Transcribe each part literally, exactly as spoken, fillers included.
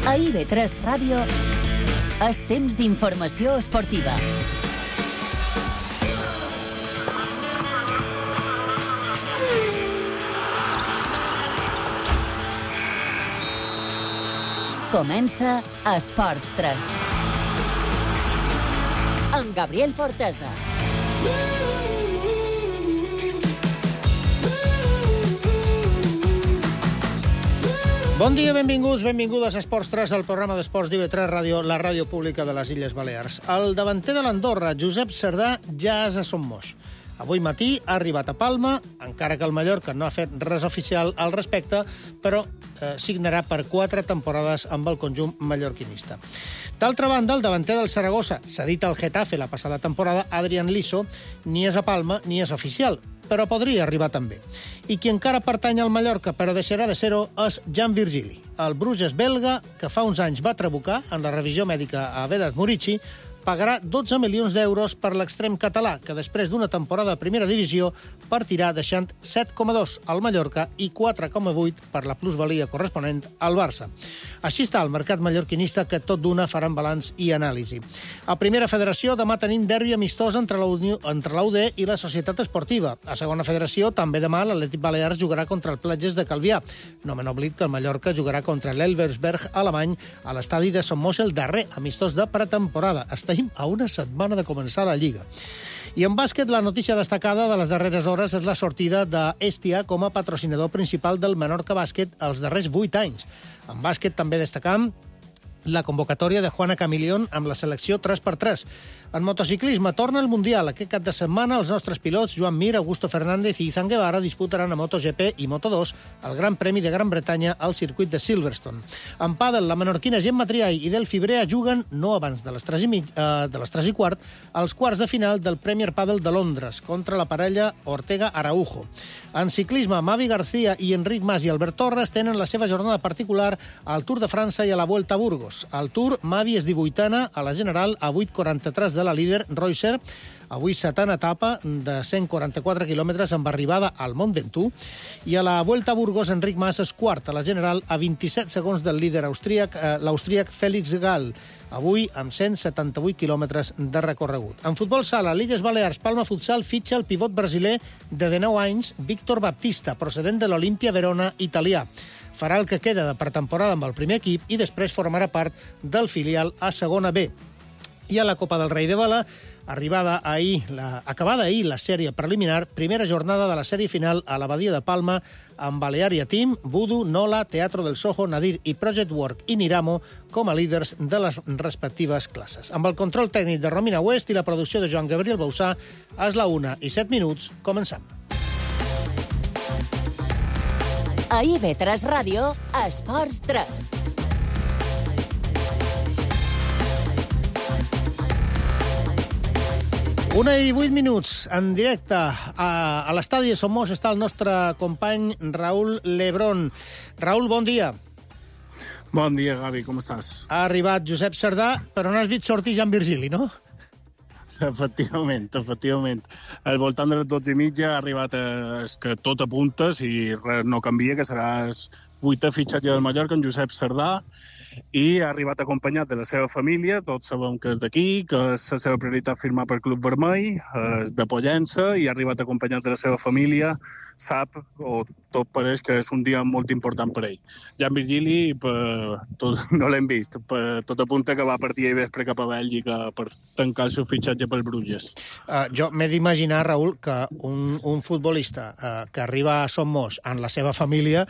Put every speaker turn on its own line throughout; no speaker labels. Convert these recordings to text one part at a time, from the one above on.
A I B tres Ràdio és temps d'informació esportiva. Comença Esports tres. Amb Gabriel Fortesa.
Bon dia, benvinguts, benvingudes a Esports tres, el programa d'esports d'I B tres Ràdio, la ràdio pública de les Illes Balears. El davanter de l'Andorra, Josep Cerdà, ja és a Son Moix. Avui matí ha arribat a Palma, encara que el Mallorca no ha fet res oficial al respecte, però eh, signarà per quatre temporades amb el conjunt mallorquinista. D'altra banda, el davanter del Saragossa, cedit al Getafe la passada temporada, Adrián Liso, ni és a Palma ni és oficial, però podria arribar també. I qui encara pertany al Mallorca, però deixarà de ser-ho, és Jan Virgili. El Bruges belga, que fa uns anys va trabucar en la revisió mèdica a Vedat Murici, pagarà dotze milions d'euros per l'extrem català, que després d'una temporada a primera divisió partirà deixant set coma dos al Mallorca i quatre coma vuit per la plusvalia corresponent al Barça. Així està el mercat mallorquinista, que tot d'una faran balanç i anàlisi. A Primera Federació demà tenim derbi amistós entre la U D i la Societat Esportiva. A Segona Federació també demà l'Atlètic Balears jugarà contra el Platges de Calvià. No me n'oblid que el Mallorca jugarà contra l'Elversberg alemany a l'estadi de Son Moix, el darrer amistós de pretemporada. Estem a una setmana de començar la Lliga. I en bàsquet, la notícia destacada de les darreres hores és la sortida d'Hestia com a patrocinador principal del Menorca Bàsquet els darrers vuit anys. En bàsquet també destacam la convocatòria de Juana Camilión amb la selecció tres per tres. En motociclisme torna el Mundial. Aquest cap de setmana els nostres pilots Joan Mir, Augusto Fernández i Izan Guevara disputaran a MotoGP i Moto dos el Gran Premi de Gran Bretanya al circuit de Silverstone. En pàdel, la menorquina Gemma Triay i Delphi Brea juguen, no abans de les tres i, mig, eh, de les tres i quart, als quarts de final del Premier Padel de Londres contra la parella Ortega-Araujo. En ciclisme, Mavi García i Enric Mas i Albert Torres tenen la seva jornada particular al Tour de França i a la Vuelta a Burgos. Al Tour, Mavi és divuitena, a la general a vuit quaranta-tres de la líder Reusser, avui setena etapa de cent quaranta-quatre quilòmetres amb arribada al Mont Ventoux, i a la Vuelta a Burgos Enric Mas és quart a la general a vint-i-set segons del líder austríac, eh, l'austríac Félix Gall, avui amb cent setanta-vuit quilòmetres de recorregut. En futbol sala, l'Illes Balears, Palma Futsal fitxa el pivot brasiler de dinou anys, Víctor Baptista, procedent de l'Olimpia Verona italià. Farà el que queda de pretemporada amb el primer equip i després formarà part del filial a segona B. I a la Copa del Rei de Vela, arribada ahir, la, acabada ahir la sèrie preliminar, primera jornada de la sèrie final a l'Abadia de Palma, amb Balearia Team, Voodoo, Nola, Teatro del Soho, Nadir i Project Work i Niramo com a líders de les respectives classes. Amb el control tècnic de Romina West i la producció de Joan Gabriel Bausà, és la una i set minuts, començam.
A I B tres Ràdio, Esports tres.
Una i vuit minuts, en directe a, a l'estadi de Son Moix està el nostre company Raúl Lebrón. Raúl, bon dia.
Bon dia, Gavi, com estàs?
Ha arribat Josep Cerdà, però no has vist sortir Jan Virgili, no?
Efectivament, efectivament. Al voltant de les dotze i mitja ha arribat a, que tot apunta, si res no canvia, que serà el vuitè fitxatge del Mallorca, en Josep Cerdà, i ha arribat acompanyat de la seva família. Tots sabem que és d'aquí, que és la seva prioritat firmar per Club Vermell, és de Pollença, i ha arribat acompanyat de la seva família. Sap, o tot pareix que és un dia molt important per ell. Jan Virgili, per, tot, no l'hem vist, per, tot apunta que va partir ahir vespre cap a Bèlgica per tancar el seu fitxatge pel Bruges.
Uh, jo m'he d'imaginar, Raúl, que un, un futbolista uh, que arriba a Son Moix amb la seva família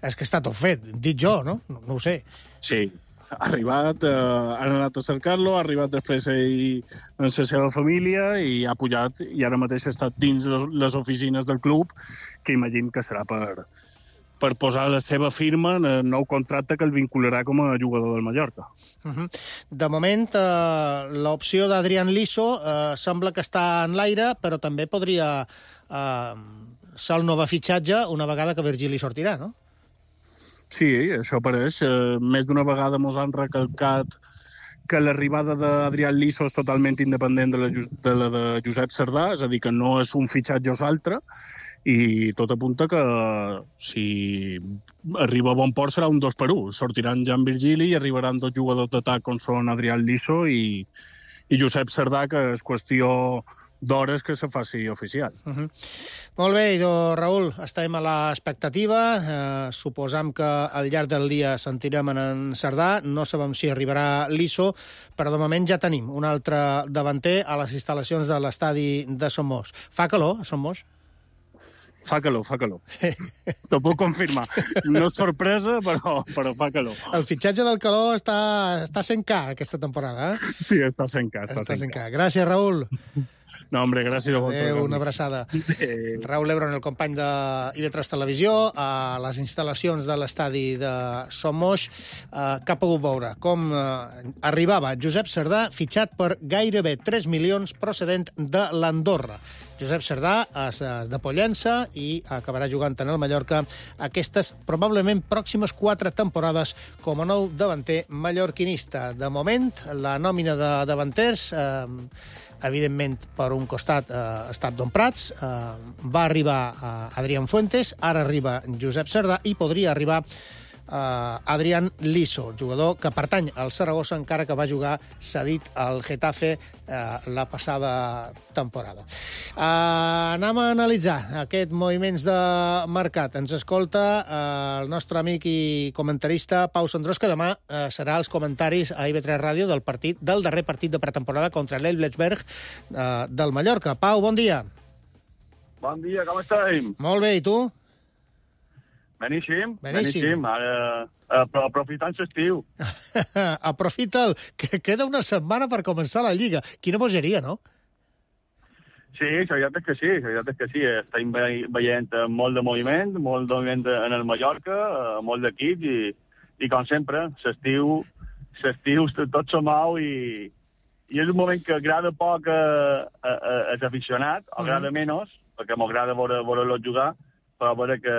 és que està tot fet, dit jo, no? No, no ho sé.
Sí, ha arribat, eh, han anat a cercar-lo, ha arribat després ell amb la seva família i ha pujat, i ara mateix està dins les oficines del club, que imagino que serà per, per posar la seva firma en el nou contracte que el vincularà com a jugador del Mallorca.
Uh-huh. De moment, eh, l'opció d'Adrián Liso eh, sembla que està en l'aire, però també podria eh, ser el nou fitxatge una vegada que Virgili sortirà, no?
Sí, això apareix. Eh, més d'una vegada mos han recalcat que l'arribada d'Adrián Liso és totalment independent de la de, la de Josep Cerdà, és a dir, que no és un fitxatge o l'altre, i tot apunta que si arriba a bon port serà un dos per un. Sortiran Jan Virgili i arribaran dos jugadors d'atac com són Adrián Liso i, i Josep Cerdà, que és qüestió d'hores que se faci oficial.
Uh -huh. Molt bé, idò, Raül, estem a l'expectativa. Eh, suposam que al llarg del dia sentirem en Cerdà. No sabem si arribarà Liso, però de moment ja tenim un altre davanter a les instal·lacions de l'estadi de Somos. Fa calor a Somos?
Fa calor, fa calor. T'ho puc confirmar. No és sorpresa, però, però fa calor.
El fitxatge del calor està, està sent car aquesta temporada, eh?
Sí, està sent car. Està,
està sent car. Gràcies, Raül.
No, hombre, gràcies a vosaltres.
Adéu, una abraçada.
Adéu.
Raül Lebron, el company de I V tres Televisió, a les instal·lacions de l'estadi de Somos, eh, que ha pogut veure com eh, arribava Josep Cerdà, fitxat per gairebé tres milions procedent de l'Andorra. Josep Cerdà és de Pollença i acabarà jugant en el Mallorca aquestes probablement pròximes quatre temporades com a nou davanter mallorquinista. De moment, la nòmina de davanters, eh, evidentment, per un costat eh, ha estat Don Prats, eh, va arribar a Adrián Fuentes, ara arriba Josep Cerdà i podria arribar Uh, Adrián Liso, jugador que pertany al Saragossa, encara que va jugar cedit al Getafe uh, la passada temporada. Uh, anem a analitzar aquests moviments de mercat. Ens escolta uh, el nostre amic i comentarista Pau Sandrós, que demà uh, serà els comentaris a I V tres Ràdio del partit del darrer partit de pretemporada contra l'Elblesberg uh, del Mallorca. Pau, bon dia.
Bon dia, com estem?
Molt bé, i tu?
Beníssim,
beníssim.
beníssim. Ara, uh, però aprofitant l'estiu.
Aprofita'l, que queda una setmana per començar la Lliga. Quina bogeria, no?
Sí, la veritat és que sí, la veritat és que sí. Estem ve veient molt de moviment, molt de moviment en el Mallorca, molt d'equips, i, i com sempre, l'estiu, l'estiu tot se mou i, i és un moment que agrada poc a, a, a, als aficionats, o agrada menys, perquè m'agrada veure-los jugar, però a veure que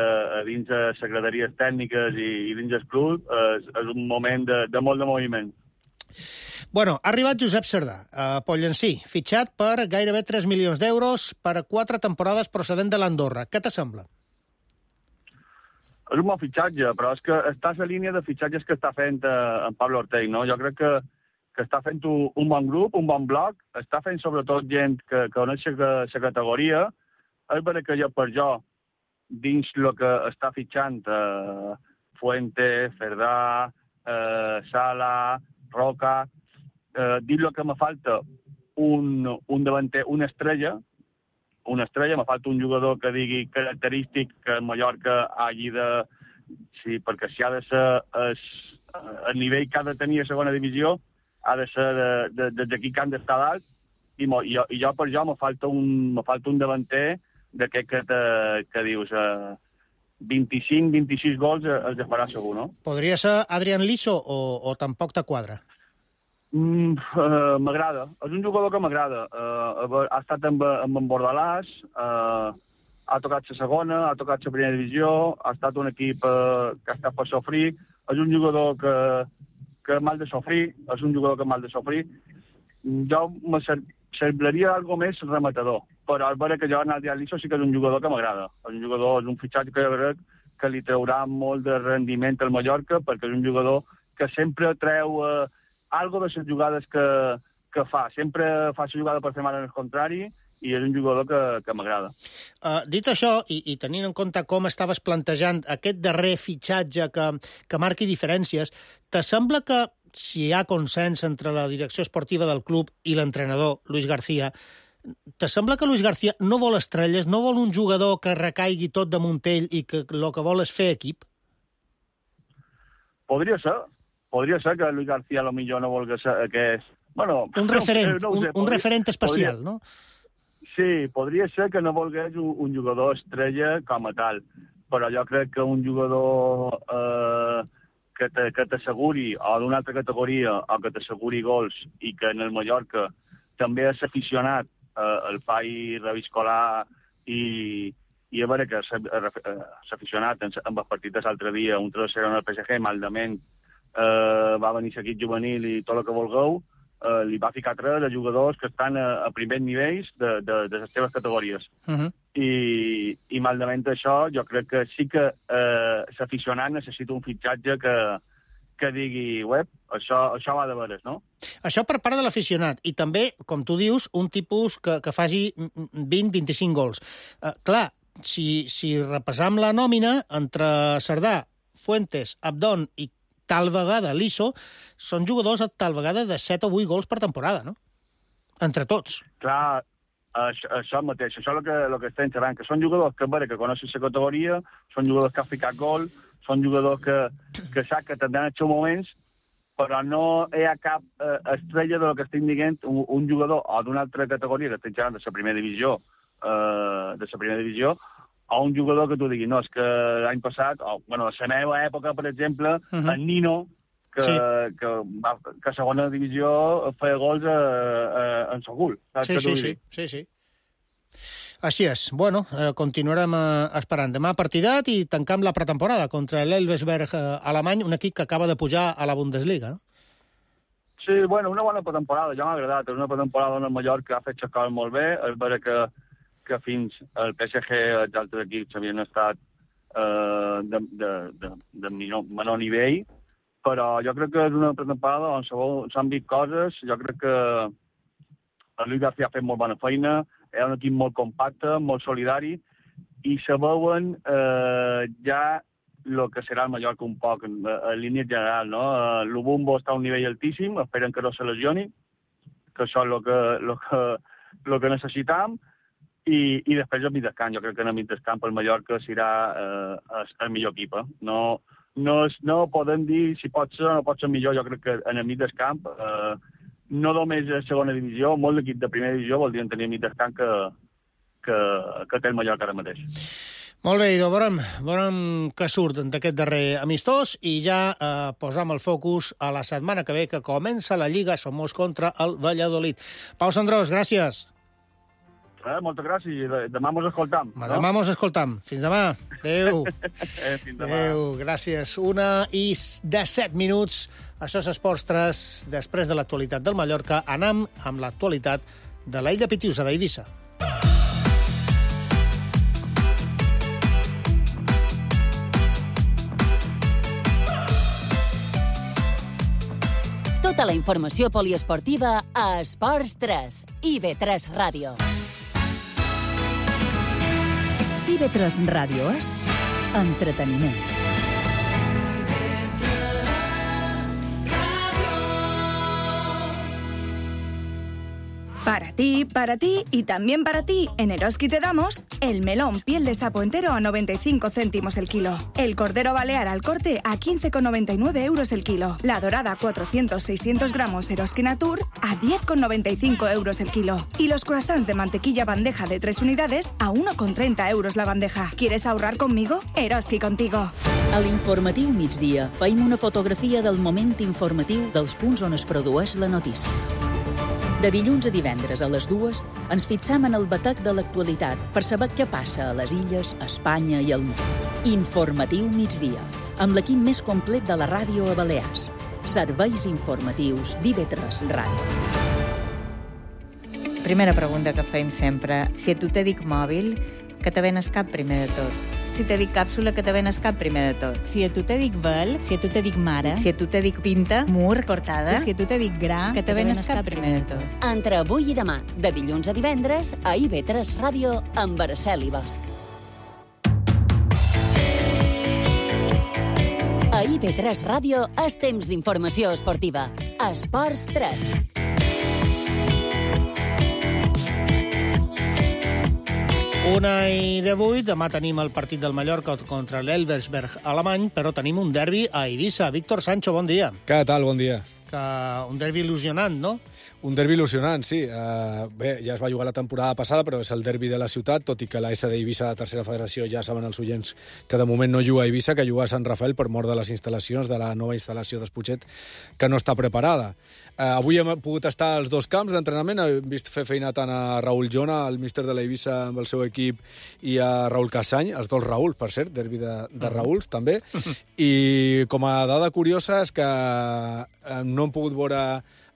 dins les secretaries tècniques i, i dins el club és, és un moment de, de molt de moviment.
Bueno, ha arribat Josep Cerdà, a Pollencí, fitxat per gairebé tres milions d'euros per a quatre temporades procedent de l'Andorra. Què t'assembla?
És un bon fitxatge, però és que està a la línia de fitxatges que està fent eh, en Pablo Ortell, no? Jo crec que, que està fent un, un bon grup, un bon bloc, està fent sobretot gent que, que coneix la categoria. És vera que jo per jo, dins el que està fitxant eh, Fuente, Cerdà, eh, Sala, Roca, eh, dir lo que me falta un, un davanter, una estrella, una estrella, me falta un jugador que digui característic que Mallorca hagi de... Sí, perquè si ha de ser es, el nivell que ha de tenir a segona divisió, ha de ser de, de, de, d'aquí que han d'estar dalt, i, mo, i, jo, i jo per jo me falta un, me falta un davanter d'aquest que, te, que dius eh, vint-i-cinc vint-i-sis gols els farà segur, no?
Podria ser Adrián Liso o, o tampoc te quadra?
Mm, uh, m'agrada. És un jugador que m'agrada. Uh, ha estat amb, amb en Bordalàs, uh, ha tocat la segona, ha tocat la primera divisió, ha estat un equip uh, que ha estat per sofrir. És un jugador que, que mal de sofrir, és un jugador que mal de sofrir. Jo me semblaria algo més rematador, però és vera que jo en Adrián Liso sí que és un jugador que m'agrada. És un jugador, és un fitxatge que jo crec que li traurà molt de rendiment al Mallorca, perquè és un jugador que sempre treu eh, algo de les jugades que, que fa. Sempre fa la jugada per fer mal en el contrari, i és un jugador que, que m'agrada.
Uh, dit això, i, i tenint en compte com estaves plantejant aquest darrer fitxatge que, que marqui diferències, te sembla que si hi ha consens entre la direcció esportiva del club i l'entrenador, Luis García, te sembla que Luis García no vol estrelles, no vol un jugador que recaigui tot damunt ell i que el que vol és fer equip?
Podria ser. Podria ser que Luis García a lo millor no volgués ser que és... Bueno,
un referent,
no, no
un,
sé,
un
podria,
referent especial,
podria,
no?
Sí, podria ser que no volgués un, un jugador estrella com a tal, però jo crec que un jugador eh, que te, que t'asseguri, o d'una altra categoria, o que t'asseguri gols, i que en el Mallorca també és aficionat, eh, el fai reviscolar i, i a veure que s'ha aficionat en, en els partits l'altre dia, un tres zero en el P S G, maldament, eh, va venir l'equip juvenil i tot el que vulgueu, eh, li va ficar tres de jugadors que estan a, a primers nivells de, de, de les seves categories.
Uh -huh.
i, i malament això, jo crec que sí que eh, l'aficionat necessita un fitxatge que, que digui, web, això, això va de veres, no?
Això per part de l'aficionat. I també, com tu dius, un tipus que, que faci vint a vint-i-cinc gols. Uh, clar, si, si repassam la nòmina, entre Cerdà, Fuentes, Abdón i tal vegada l'Iso, són jugadors tal vegada de set o vuit gols per temporada, no? Entre tots.
Clar, això, això mateix, això és el que, el que estem xerrant, que són jugadors que, veure, que coneixen la categoria, són jugadors que han ficat gol, són jugadors que, que sap que tindran els seus moments, però no hi ha cap eh, estrella del que estic dient, un, un jugador o d'una altra categoria que estic xerrant de la primera divisió, eh, de la primera divisió, o un jugador que tu diguis, no, és que l'any passat, o, bueno, a la meva època, per exemple, uh -huh. en Nino, que, sí. que, va, que a segona divisió feia gols a, a, en Sogul.
Sí, sí, sí, sí, sí. Així és. Bueno, eh, continuarem eh, esperant. Demà partidat i tancam la pretemporada contra l'Elversberg eh, alemany, un equip que acaba de pujar a la Bundesliga, no?
Sí, bueno, una bona pretemporada, ja m'ha agradat. És una pretemporada on el Mallorca ha fet les coses molt bé. És vera que, que fins al P S G els altres equips havien estat eh, de, de, de, de menor nivell, però jo crec que és una pretemporada on s'han vist coses. Jo crec que el Luis García ha fet molt bona feina, és un equip molt compacte, molt solidari, i se veuen eh, ja el que serà el Mallorca un poc, en, en línia general, no? L'Ubumbo està a un nivell altíssim, esperen que no se lesioni, que això és el que, lo que, lo que necessitam, i, i després el mig del camp. Jo crec que en el mig del camp el Mallorca serà eh, el, el millor equip. Eh? No, no, no podem dir si pot ser o no pot ser millor. Jo crec que en el mig del camp, eh, no només a segona divisió, molt d'equip de primera divisió voldrien tenir el mig del camp que, que, que té el Mallorca ara mateix.
Molt bé, Ido, veurem, veurem què surt d'aquest darrer amistós i ja eh, posam el focus a la setmana que ve, que comença la Lliga Somos contra el Valladolid. Pau Sandrós, gràcies.
Eh, moltes gràcies. Demà mos escoltam.
No? Demà mos escoltam. Fins demà. Adéu.
eh, fins demà.
Adéu, gràcies. Una i disset minuts. Això és Esports tres. Després de l'actualitat del Mallorca, anam amb l'actualitat de l'illa Pitiusa d'Eivissa.
Tota la informació poliesportiva a Esports tres i B tres Ràdio. I B tres Ràdio és entreteniment.
Para ti, para ti y también para ti, en Eroski te damos el melón piel de sapo entero a noventa y cinco céntimos el kilo, el cordero balear al corte a quince con noventa y nueve euros el kilo, la dorada cuatrocientos seiscientos gramos Eroski Natur a diez con noventa y cinco euros el kilo y los croissants de mantequilla bandeja de tres unidades a uno con treinta euros la bandeja. ¿Quieres ahorrar conmigo? Eroski contigo.
A l'informatiu migdia feim una fotografia del moment informatiu dels punts on es produeix la notícia. De dilluns a divendres a les dues ens fixam en el batec de l'actualitat per saber què passa a les illes, a Espanya i al món. Informatiu migdia, amb l'equip més complet de la ràdio a Balears. Serveis informatius d'I B tres Ràdio.
Primera pregunta que fem sempre. Si a tu te dic mòbil, que te venes cap primer de tot? Si te dic càpsula, que te venes cap primer de tot?
Si a tu te dic vel, si a tu te dic mare,
si a tu te dic pinta,
mur, portada,
si a tu te dic gra,
que te venes cap primer de tot?
Entre avui i demà, de dilluns a divendres, a I B tres Ràdio, amb Araceli Bosch. A I B tres Ràdio és temps d'informació esportiva. Esports tres.
Una i divuit, demà tenim el partit del Mallorca contra l'Elversberg alemany, però tenim un derbi a Eivissa. Víctor Sancho, bon dia.
Què tal? Bon dia.
Que un derbi il·lusionant, no?
Un derbi il·lusionant, sí. Uh, bé, ja es va jugar la temporada passada, però és el derbi de la ciutat, tot i que la S d'Eivissa, la tercera federació, ja saben els oients que de moment no juga a Eivissa, que juga a Sant Rafael per mort de les instal·lacions, de la nova instal·lació d'Esputxet, que no està preparada. Uh, avui hem pogut estar als dos camps d'entrenament, hem vist fer feina tant a Raül Jona, el míster de l'Eivissa amb el seu equip, i a Raül Cassany, els dos Raül, per cert, derbi de, de Raüls, també. I com a dada curiosa és que no hem pogut veure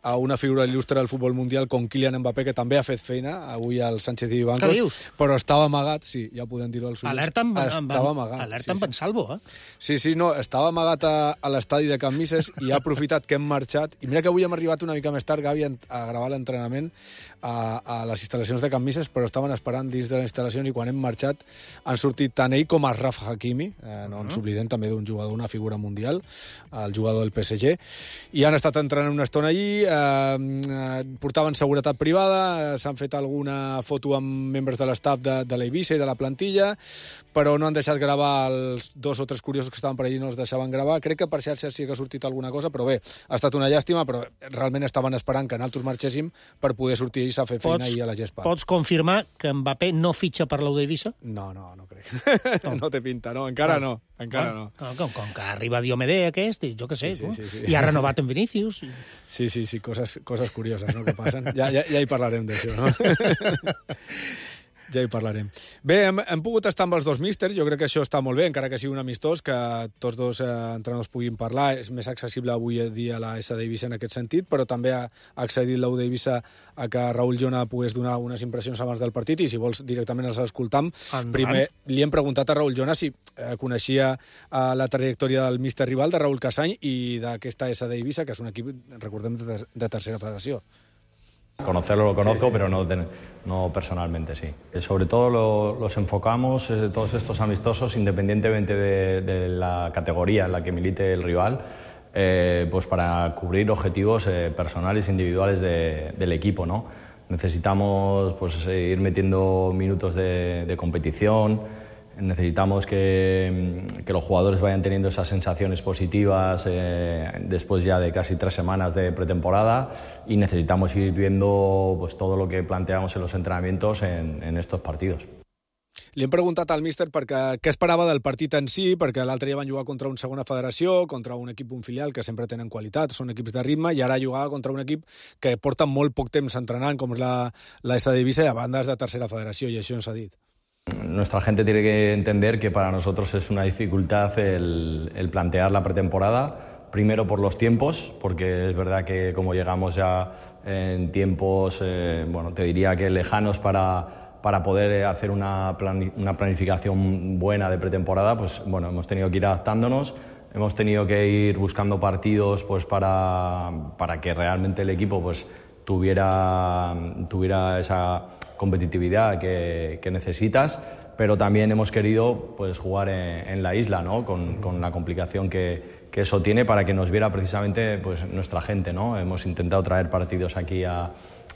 a una figura il·lustre del futbol mundial com Kylian Mbappé, que també ha fet feina avui al Sánchez i Bancos.
Què dius?
Però estava amagat, sí, ja podem dir-ho als ulls.
Alerta amb, amb,
estava amagat.
alerta
sí,
amb
sí.
en Salvo, eh?
Sí, sí, no, estava amagat a, a l'estadi de Can Misses i ha aprofitat que hem marxat. I mira que avui hem arribat una mica més tard, Gavi, a gravar l'entrenament a, a les instal·lacions de Can Misses, però estaven esperant dins de les instal·lacions i quan hem marxat han sortit tant ell com Achraf Hakimi, eh, no ens oblidem també d'un jugador, una figura mundial, el jugador del P S G, i han estat entrenant una estona allí, eh, eh, portaven seguretat privada, eh, s'han fet alguna foto amb membres de l'estaf de, de l'Eivissa i de la plantilla, però no han deixat gravar els dos o tres curiosos que estaven per allí, no els deixaven gravar. Crec que per xarxes sí que ha sortit alguna cosa, però bé, ha estat una llàstima, però realment estaven esperant que nosaltres marxéssim per poder sortir ells a fer feina
Pots,
ahir a la gespa.
Pots confirmar que Mbappé no fitxa per l'U d'Eivissa?
No, no, no crec. No, no té pinta, no, encara no, encara no.
Com, com, com que arriba Diomede aquest, i jo què sé,
Sí, sí, sí, sí.
i ha renovat en Vinícius. I...
Sí, sí, sí, coses, coses curioses, no?, que passen. Ja, ja, ja hi parlarem d'això, no? Ja hi parlarem. Bé, hem, hem pogut estar amb els dos místers, jo crec que això està molt bé, encara que sigui un amistós, que tots dos eh, entrenadors puguin parlar. És més accessible avui dia a la S d'Eivissa en aquest sentit, però també ha, ha accedit l'U d'Eivissa a que Raül Llona pogués donar unes impressions abans del partit, i si vols directament els escoltam.
Endavant.
Primer, li hem preguntat a Raül Llona si eh, coneixia eh, la trajectòria del míster rival, de Raúl Casany, i d'aquesta S d'Eivissa, que és un equip, recordem, de, de tercera federació.
Conocerlo lo conozco, sí, sí. pero no, no personalmente, sí. Sobre todo lo, los enfocamos, eh, todos estos amistosos, independientemente de, de la categoría en la que milite el rival, eh, pues para cubrir objetivos eh, personales, individuales de, del equipo, ¿no? Necesitamos pues, ir metiendo minutos de, de competición, necesitamos que, que los jugadores vayan teniendo esas sensaciones positivas eh, después ya de casi tres semanas de pretemporada, y necesitamos ir viendo pues, todo lo que planteamos en los entrenamientos en, en estos partidos.
Li hem preguntat al míster perquè què esperava del partit en si, perquè l'altre dia van jugar contra una segona federació, contra un equip, un filial, que sempre tenen qualitat, són equips de ritme, i ara jugava contra un equip que porta molt poc temps entrenant, com és la, la S d'Eivissa, i a banda és de tercera federació, i això ens ha dit.
Nuestra gente tiene que entender que para nosotros es una dificultad el, el plantear la pretemporada, primero por los tiempos, porque es verdad que como llegamos ya en tiempos, eh, bueno, te diría que lejanos para, para poder hacer una, plan, una planificación buena de pretemporada, pues bueno, hemos tenido que ir adaptándonos, hemos tenido que ir buscando partidos pues para, para que realmente el equipo pues tuviera, tuviera esa competitividad que, que necesitas, pero también hemos querido pues, jugar en, en la isla, ¿no? con, con la complicación que, que eso tiene, para que nos viera precisamente pues, nuestra gente, ¿no? Hemos intentado traer partidos aquí a,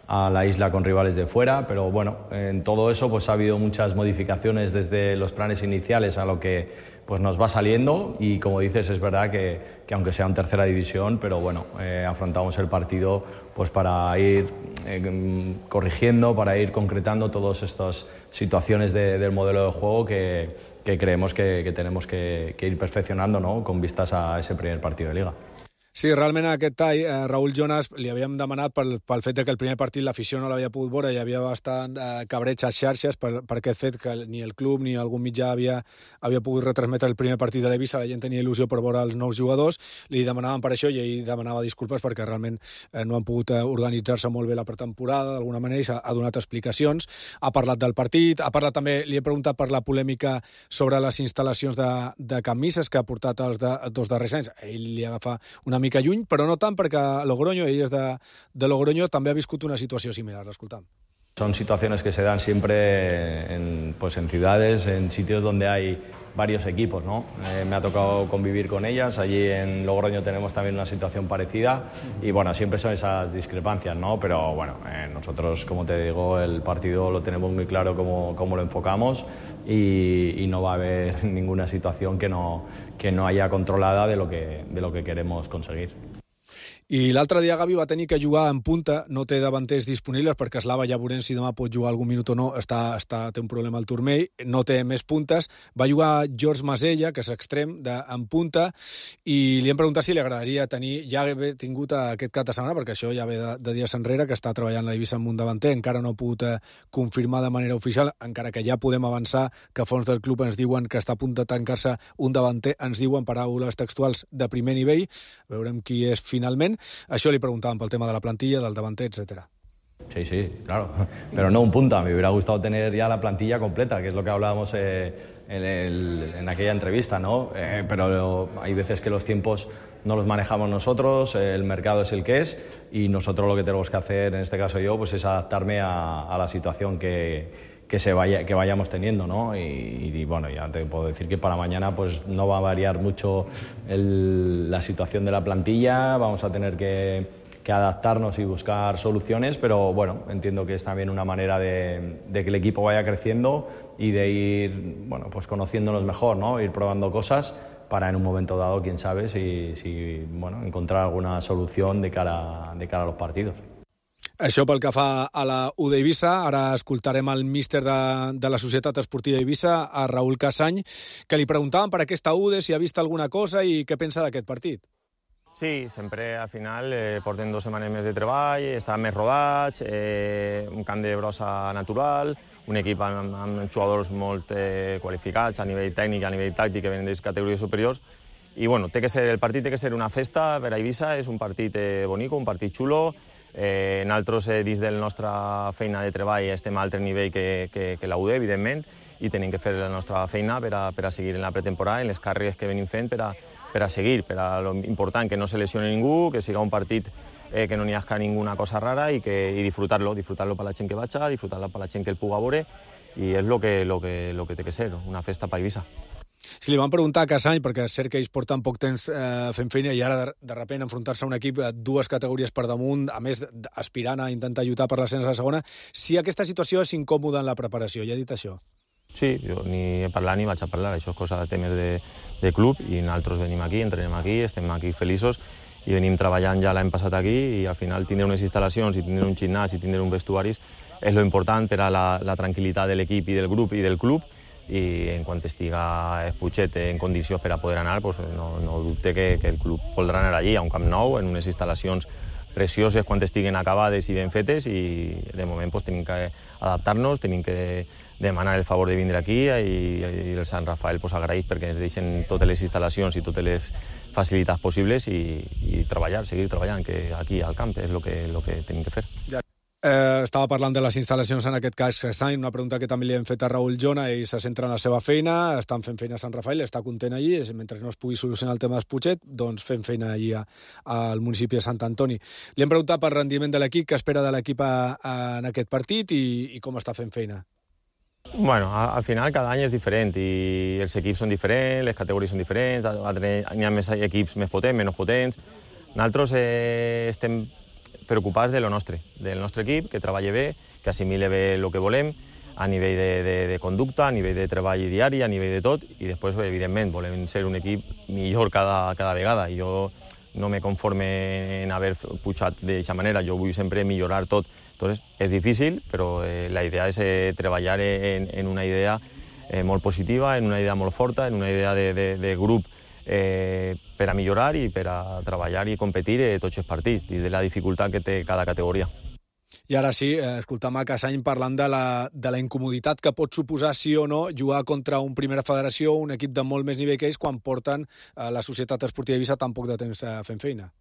a la isla con rivales de fuera, pero bueno, en todo eso pues, ha habido muchas modificaciones desde los planes iniciales a lo que pues, nos va saliendo, y como dices, es verdad que, que aunque sea en tercera división, pero bueno, eh, afrontamos el partido pues para ir eh, corrigiendo, para ir concretando todas estas situaciones de, del modelo de juego que, que creemos que, que tenemos que, que ir perfeccionando, ¿no? Con vistas a ese primer partido de Liga.
Sí, realment a aquest tall, eh, Raül Llonas, li havíem demanat pel, pel fet de que el primer partit l'afició no l'havia pogut veure, hi havia bastant eh, cabreig a xarxes per, per aquest fet que ni el club ni algun mitjà havia, havia pogut retransmetre el primer partit de l'Eivissa, la gent tenia il·lusió per veure els nous jugadors, li demanaven per això i ell demanava disculpes perquè realment eh, no han pogut eh, organitzar-se molt bé la pretemporada, d'alguna manera, i ha, ha donat explicacions, ha parlat del partit, ha parlat també, li he preguntat per la polèmica sobre les instal·lacions de, de Can Misses que ha portat els de, dos darrers anys, ell li agafa una mica lluny, però no tant perquè Logroño, ell és de, de Logroño, també ha viscut una situació similar. Escoltam.
Son situaciones que se dan siempre en, pues en ciudades, en sitios donde hay varios equipos, ¿no? Eh, me ha tocado convivir con ellas, allí en Logroño tenemos también una situación parecida y bueno, siempre son esas discrepancias, ¿no? Pero bueno, eh, nosotros, como te digo, el partido lo tenemos muy claro cómo, cómo lo enfocamos y, y no va a haber ninguna situación que no, que no haya controlada de lo que, de lo que queremos conseguir.
I l'altre dia Gavi va tenir que jugar en punta, no té davanters disponibles perquè Slava ja veurem si demà pot jugar algun minut o no, està, està, té un problema al turmell, no té més puntes, va jugar George Masella, que és extrem, de, en punta, i li hem preguntat si li agradaria tenir, ja haver tingut aquest cap de setmana, perquè això ja ve de, de dies enrere, que està treballant la Eivissa amb un davanter, encara no ha pogut eh, confirmar de manera oficial, encara que ja podem avançar que fons del club ens diuen que està a punt de tancar-se un davanter, ens diuen paraules textuals de primer nivell, veurem qui és finalment. Això li preguntàvem pel tema de la plantilla, del davanter, etcétera.
Sí, sí, claro, pero no un punta. Me hubiera gustado tener ya la plantilla completa, que es lo que hablábamos eh, en, el, en aquella entrevista, ¿no? Eh, pero hay veces que los tiempos no los manejamos nosotros, eh, el mercado es el que es, y nosotros lo que tenemos que hacer, en este caso yo, pues es adaptarme a, a la situación que, que, se vaya, que vayamos teniendo, ¿no? Y, y bueno, ya te puedo decir que para mañana pues no va a variar mucho el, la situación de la plantilla, vamos a tener que, que adaptarnos y buscar soluciones, pero bueno, entiendo que es también una manera de, de que el equipo vaya creciendo y de ir, bueno, pues conociéndonos mejor, ¿no? Ir probando cosas para en un momento dado, quién sabe, si, si bueno, encontrar alguna solución de cara, de cara a los partidos.
Això pel que fa a la U d'Eivissa. Ara escoltarem el míster de, de la Societat Esportiva Eivissa, a Raúl Casany, que li preguntaven per aquesta U D, si ha vist alguna cosa i què pensa d'aquest partit.
Sí, sempre al final eh, porten dues setmanes més de treball, estan més rodats, eh, un camp de brossa natural, un equip amb, amb jugadors molt eh, qualificats a nivell tècnic, a nivell tàctic, que venen de categories superiors. I bueno, té que ser, el partit té que ser una festa per a Eivissa, és un partit eh, bonic, un partit xulo. Eh, nosaltres, eh, dins de la nostra feina de treball, estem a altre nivell que, que, que la U D, evidentment, i tenim que fer la nostra feina per a, per a seguir en la pretemporada, en les càrregues que venim fent per a, per a seguir, per a lo important, que no se lesione ningú, que siga un partit eh, que no n'hi hagi ninguna cosa rara i, que, i disfrutar-lo, disfrutar-lo per la gent que vaja, disfrutar-lo per la gent que el puga veure, i és lo que, lo que, lo que té que ser, una festa per Eivissa.
Si li van preguntar a Casany, perquè és cert que ells porten poc temps eh, fent feina i ara de, de repent enfrontar-se a un equip dues categories per damunt, a més aspirant a intentar lluitar per l'ascens a la segona, si aquesta situació és incòmoda en la preparació, ja ha dit això?
Sí, jo ni he parlat ni vaig a parlar, això és cosa de temes de, de club, i nosaltres venim aquí, entrenem aquí, estem aquí feliços i venim treballant ja l'any passat aquí, i al final tindre unes instal·lacions i tindre un gimnàs i tindre un vestuaris és lo important per a la, la tranquil·litat de l'equip i del grup i del club, i en quan estiga Puigset en condicions per a poder anar, pues no, no dubte que, que el club voldrà anar allí, a un camp nou, en unes instal·lacions precioses quan estiguen acabades i ben fetes, i de moment pues, tenim que adaptar-nos, tenim que demanar el favor de vindre aquí, i, i el Sant Rafael pues, agraït perquè ens deixen totes les instal·lacions i totes les facilitats possibles, i, i treballar, seguir treballant, que aquí al camp és el que, lo que tenim que fer.
Ja. Eh, estava parlant de les instal·lacions, en aquest cas Casany, una pregunta que també li hem fet a Raúl Jona, ell se centra en la seva feina, estan fent feina a Sant Rafael, està content allí, mentre no es pugui solucionar el tema d'Esputxet, doncs fem feina allí a, al municipi de Sant Antoni. Li hem preguntat per rendiment de l'equip, què espera de l'equip a, a, en aquest partit i, i com està fent feina.
Bueno, al final cada any és diferent i els equips són diferents, les categories són diferents, hi ha més equips més potents, menys potents. Nosaltres eh, estem preocupats de lo nostre, del nostre equip, que treballa bé, que assimile bé el que volem, a nivell de, de, de conducta, a nivell de treball diari, a nivell de tot, i després, evidentment, volem ser un equip millor cada, cada vegada. I jo no me conforme en haver pujat d'aquesta manera, jo vull sempre millorar tot. Entonces, és difícil, però eh, la idea és eh, treballar en, en una idea eh, molt positiva, en una idea molt forta, en una idea de, de, de grup eh, per a millorar i per a treballar i competir eh, tots els partits i de la dificultat que té cada categoria.
I ara sí, eh, escoltam a Casany parlant de la, de la incomoditat que pot suposar, sí o no, jugar contra un Primera Federació, un equip de molt més nivell que ells, quan porten eh, la Societat Esportiva Eivissa tan poc de temps eh, fent feina.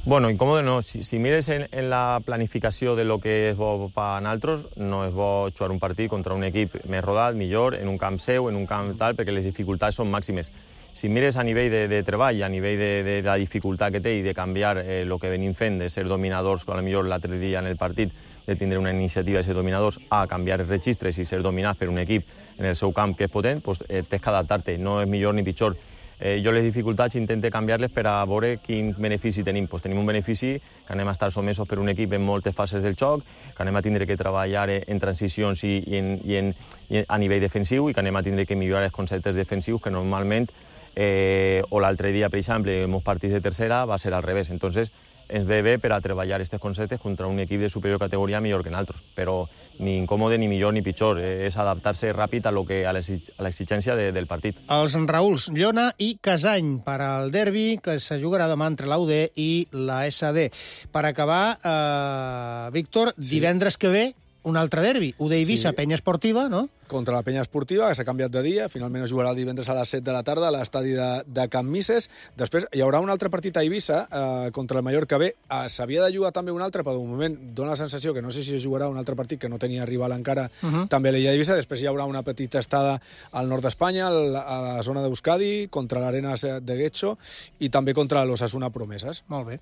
Bueno, incòmode no. Si, si mires en, en la planificació de lo que és bo per a nosaltres, no és bo jugar un partit contra un equip més rodat, millor, en un camp seu, en un camp tal, perquè les dificultats són màximes. Si mires a nivell de, de treball, a nivell de, de la dificultat que té i de canviar eh, el que venim fent, de ser dominadors, a lo millor l'altre dia en el partit, de tindre una iniciativa de ser dominadors, a canviar els registres i ser dominats per un equip en el seu camp que és potent, pues, eh, tens que adaptar-te, no és millor ni pitjor. Eh, jo les dificultats intento canviar-les per a veure quin benefici tenim. Pues tenim un benefici que anem a estar somesos per un equip en moltes fases del joc, que anem a tindre que treballar en transicions i, i, en, i, en, i a nivell defensiu, i que anem a tindre que millorar els conceptes defensius que normalment, eh, o l'altre dia, per exemple, en molts partits de tercera va ser al revés. Entonces, ens ve bé per a treballar aquests conceptes contra un equip de superior categoria millor que nosaltres, però ni incòmode, ni millor, ni pitjor. És adaptar-se ràpid a, lo que, a l'exigència de, del partit.
Els Raúls Llona i Casany per al derbi que se jugarà demà entre l'A U D i la S D. Per acabar, eh, Víctor, sí. Divendres que ve un altre derbi, U D Eivissa, sí. Penya Esportiva, no?
Contra la Penya Esportiva, que s'ha canviat de dia. Finalment es jugarà el divendres a les set de la tarda a l'estadi de, de Can Misses. Després hi haurà un altre partit a Eivissa eh, contra el Mallorca B. Eh, S'havia de jugar també un altre, però de moment dona la sensació que no sé si es jugarà un altre partit que no tenia rival encara uh -huh. també a l'illa d'Eivissa. Després hi haurà una petita estada al nord d'Espanya, a la zona d'Euskadi, contra l'Arenas de Getxo i també contra l'Osasuna Promeses.
Molt bé.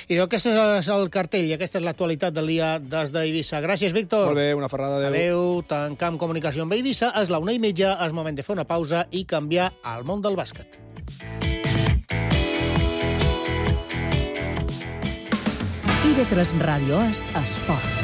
I aquest és el cartell i aquesta és l'actualitat del dia des d'Eivissa. Gràcies, Víctor.
Molt bé, una ferrada. Adéu.
Adéu. Tancam comunicació amb Eivissa. És la una i mitja, és moment de fer una pausa i canviar al món del bàsquet.
I V tres Ràdio és esport.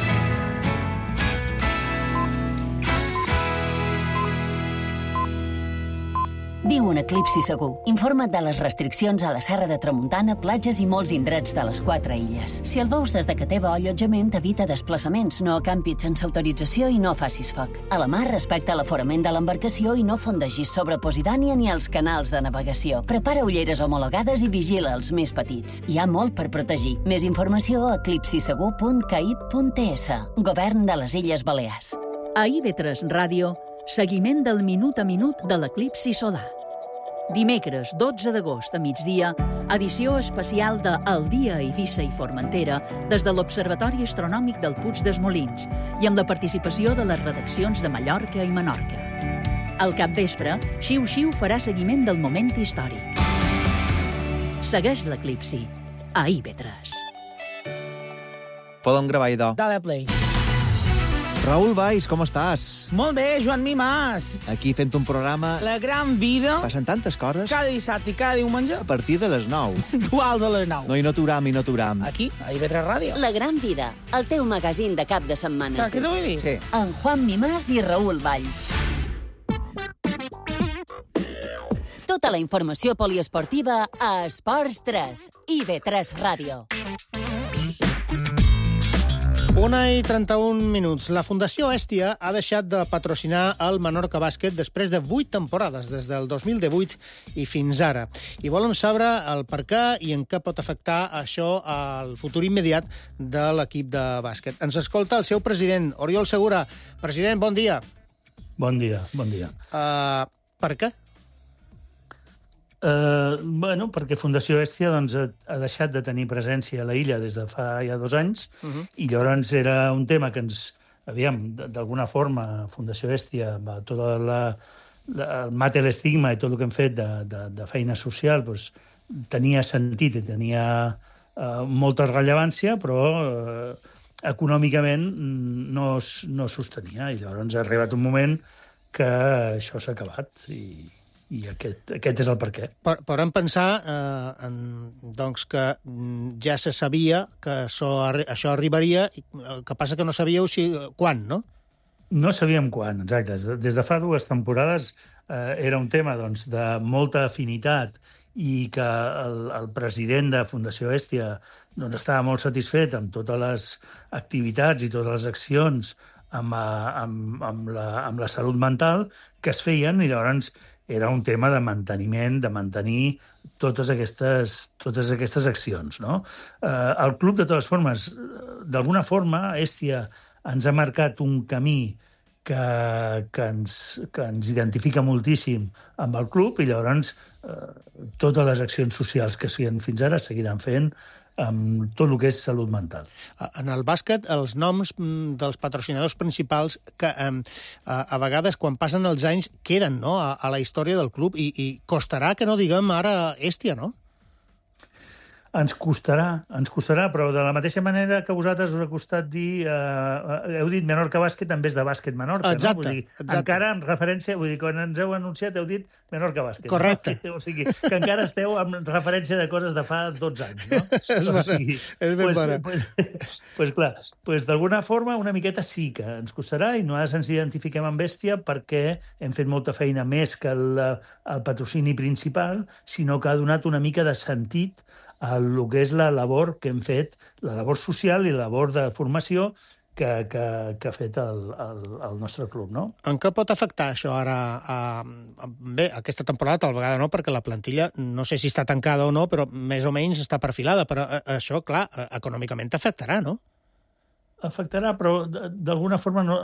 Viu un eclipsi segur. Informa't de les restriccions a la Serra de Tramuntana, platges i molts indrets de les quatre illes. Si el veus des de que té bo allotjament, evita desplaçaments, no acampis sense autorització i no facis foc. A la mar, respecta l'aforament de l'embarcació i no fondegis sobre Posidània ni els canals de navegació. Prepara ulleres homologades i vigila els més petits. Hi ha molt per protegir. Més informació a eclipsi segur punt caib punt t s. Govern de les Illes Balears.
A I V tres Ràdio, seguiment del minut a minut de l'eclipsi solar. Dimecres, dotze d'agost a migdia, edició especial de El dia a Eivissa i Formentera des de l'Observatori Astronòmic del Puig dels Molins i amb la participació de les redaccions de Mallorca i Menorca. Al capvespre, Xiu Xiu farà seguiment del moment històric. Segueix l'eclipsi a I V tres.
Podem gravar, idò.
Dale play.
Raül Valls, com estàs?
Molt bé, Joan Mimàs.
Aquí fent un programa...
La gran vida.
Passen tantes coses.
Cada dissabte i cada diumenge.
A partir de les nou.
Duals a les nou.
No, i no t'uram, i no t'uram.
Aquí, a I V tres Ràdio.
La gran vida, el teu magazín de cap de setmana.
Saps què t'ho vull dir?
Sí.
En Juan Mimàs i Raül Valls. Tota la informació poliesportiva a Esports tres, I V tres Ràdio.
Una i trenta-un minuts. La Fundació Hèstia ha deixat de patrocinar el Menorca Bàsquet després de vuit temporades, des del dos mil divuit i fins ara. I volem saber el per què i en què pot afectar això al futur immediat de l'equip de bàsquet. Ens escolta el seu president, Oriol Segura. President, bon dia.
Bon dia, bon dia.
Uh, per què?
Uh, bueno, perquè Fundació Hèstia doncs, ha, ha deixat de tenir presència a la illa des de fa ja dos anys uh -huh. i llavors era un tema que ens, aviam, d'alguna forma, Fundació Hèstia, va, tota la, la, el mate l'estigma i tot el que hem fet de, de, de feina social doncs, tenia sentit i tenia uh, molta rellevància, però uh, econòmicament no, no sostenia. I llavors ha arribat un moment que això s'ha acabat i I aquest, aquest és el per què.
Podem pensar eh, en, doncs, que ja se sabia que això, això arribaria, el que passa que no sabíeu si, quan, no?
No sabíem quan, exacte. Des de fa dues temporades eh, era un tema doncs, de molta afinitat i que el, el president de Fundació Hèstia doncs, estava molt satisfet amb totes les activitats i totes les accions amb, amb, amb, la, amb la salut mental que es feien i llavors era un tema de manteniment, de mantenir totes aquestes, totes aquestes accions. No? Eh, el club, de totes formes, d'alguna forma, Hèstia ens ha marcat un camí que, que, ens, que ens identifica moltíssim amb el club i llavors eh, totes les accions socials que es feien fins ara seguiran fent amb tot el que és salut mental.
En el bàsquet, els noms dels patrocinadors principals que eh, a vegades, quan passen els anys, queden, no?, a, a la història del club i, i costarà que no diguem ara Hèstia, no?
Ens costarà, ens costarà, però de la mateixa manera que a vosaltres us ha costat dir... Eh, heu dit Menorca Bàsquet en vez de Bàsquet Menorca,
exacte,
no? Vull dir,
exacte.
Encara en referència... Vull dir, quan ens heu anunciat heu dit Menorca Bàsquet.
Correcte.
No? O sigui, que encara esteu en referència de coses de fa dotze anys, no?
és
o sigui,
és ben
pues,
bona.
Pues, pues clar, pues d'alguna forma una miqueta sí que ens costarà i nosaltres ens identifiquem amb Hèstia perquè hem fet molta feina més que el, el patrocini principal, sinó que ha donat una mica de sentit a el que és la labor que hem fet, la labor social i la labor de formació que, que, que ha fet el, el, el nostre club, no?
En què pot afectar això ara? A, a, bé, aquesta temporada tal vegada no, perquè la plantilla no sé si està tancada o no, però més o menys està perfilada, però això, clar, econòmicament t'afectarà, no?
afectarà, però d'alguna forma, no,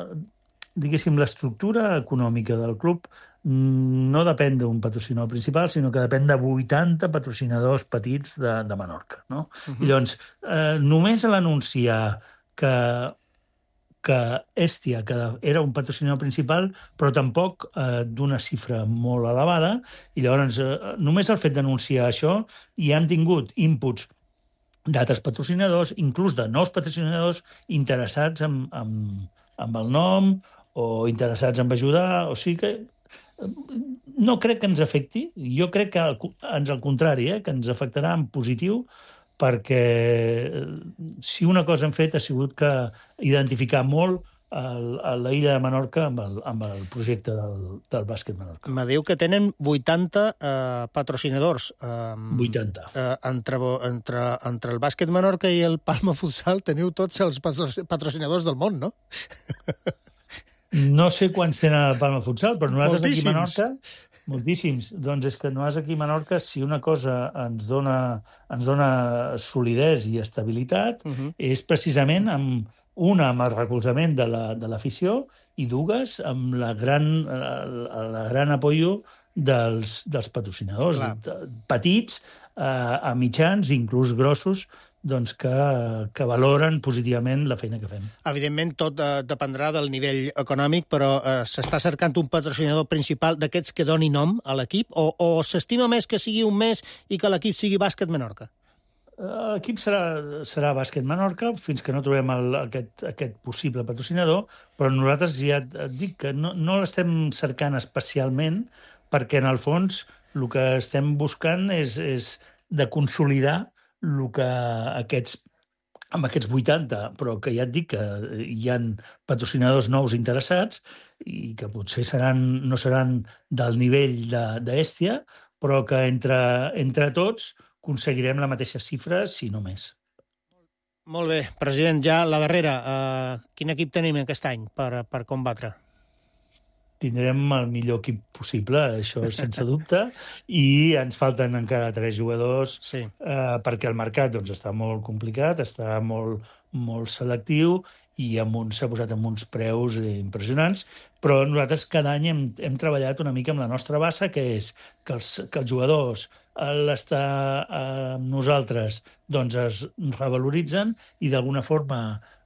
diguéssim, l'estructura econòmica del club no depèn d'un patrocinador principal, sinó que depèn de vuitanta patrocinadors petits de, de Menorca. No? Uh-huh. I llavors, eh, només a l'anunciar que, que Hestia que era un patrocinador principal, però tampoc eh, d'una xifra molt elevada, i llavors eh, només el fet d'anunciar això i han tingut inputs d'altres patrocinadors, inclús de nous patrocinadors interessats en, en, en el nom o interessats en ajudar, o sigui que no crec que ens afecti. Jo crec que ens al contrari, eh, que ens afectarà en positiu, perquè si una cosa hem fet ha sigut que identificar molt el, l'illa de Menorca amb el, amb el projecte del, del bàsquet Menorca.
Me diu que tenen vuitanta eh, patrocinadors. Eh,
vuitanta.
Eh, entre, entre, entre el bàsquet Menorca i el Palma Futsal teniu tots els patrocinadors del món, no?
No sé quants tenen el Palma Futsal, però nosaltres
moltíssims.
Aquí a Menorca... Moltíssims. Doncs és que nosaltres aquí a Menorca, si una cosa ens dona, ens dona solidesa i estabilitat, uh-huh. és precisament amb una amb el recolzament de, la, de l'afició i dues amb la gran, la, la gran apoyo dels, dels patrocinadors, de, petits eh, a mitjans, inclús grossos, doncs que, que valoren positivament la feina que fem.
Evidentment, tot eh, dependrà del nivell econòmic, però eh, s'està cercant un patrocinador principal d'aquests que doni nom a l'equip, o, o s'estima més que sigui un mes i que l'equip sigui Bàsquet Menorca?
L'equip serà, serà Bàsquet Menorca fins que no trobem el, aquest, aquest possible patrocinador, però nosaltres ja et dic que no, no l'estem cercant especialment perquè, en el fons, el que estem buscant és, és de consolidar el que aquests, amb aquests vuitanta, però que ja et dic que hi ha patrocinadors nous interessats i que potser seran, no seran del nivell d'Hestia, però que entre, entre tots aconseguirem la mateixa xifra, si no més.
Molt bé. President, ja la darrera. Uh, quin equip tenim aquest any per, per combatre?
Tindrem el millor equip possible, això sense dubte, i ens falten encara tres jugadors
sí.
eh, perquè el mercat doncs, està molt complicat, està molt, molt selectiu i amb uns, s'ha posat amb uns preus impressionants, però nosaltres cada any hem, hem treballat una mica amb la nostra base, que és que els, que els jugadors a l'estar amb nosaltres doncs es revaloritzen i d'alguna forma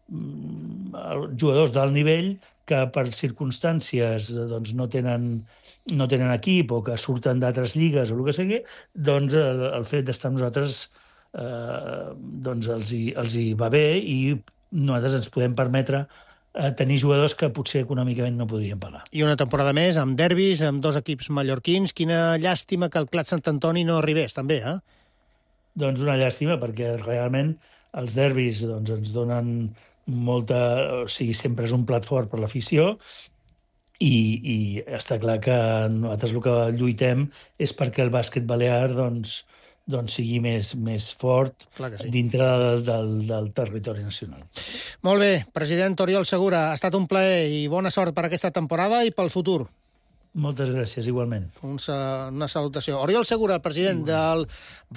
els jugadors d'alt nivell que per circumstàncies doncs, no, tenen, no tenen equip o que surten d'altres lligues o el que sigui, doncs el, el fet d'estar amb nosaltres eh, doncs els, hi, els hi va bé i nosaltres ens podem permetre eh, tenir jugadors que potser econòmicament no podrien pagar.
I una temporada més, amb derbis, amb dos equips mallorquins. Quina llàstima que el Clat Sant Antoni no arribés, també, eh?
Doncs una llàstima, perquè realment els derbis doncs, ens donen molta... O sigui, sempre és un plat fort per l'afició i, i està clar que nosaltres el que lluitem és perquè el bàsquet balear doncs, doncs sigui més, més fort
sí.
dintre del, del, del territori nacional.
Molt bé, president Oriol Segura, ha estat un plaer i bona sort per aquesta temporada i pel futur.
Moltes gràcies, igualment.
Un, una salutació. Oriol Segura, president del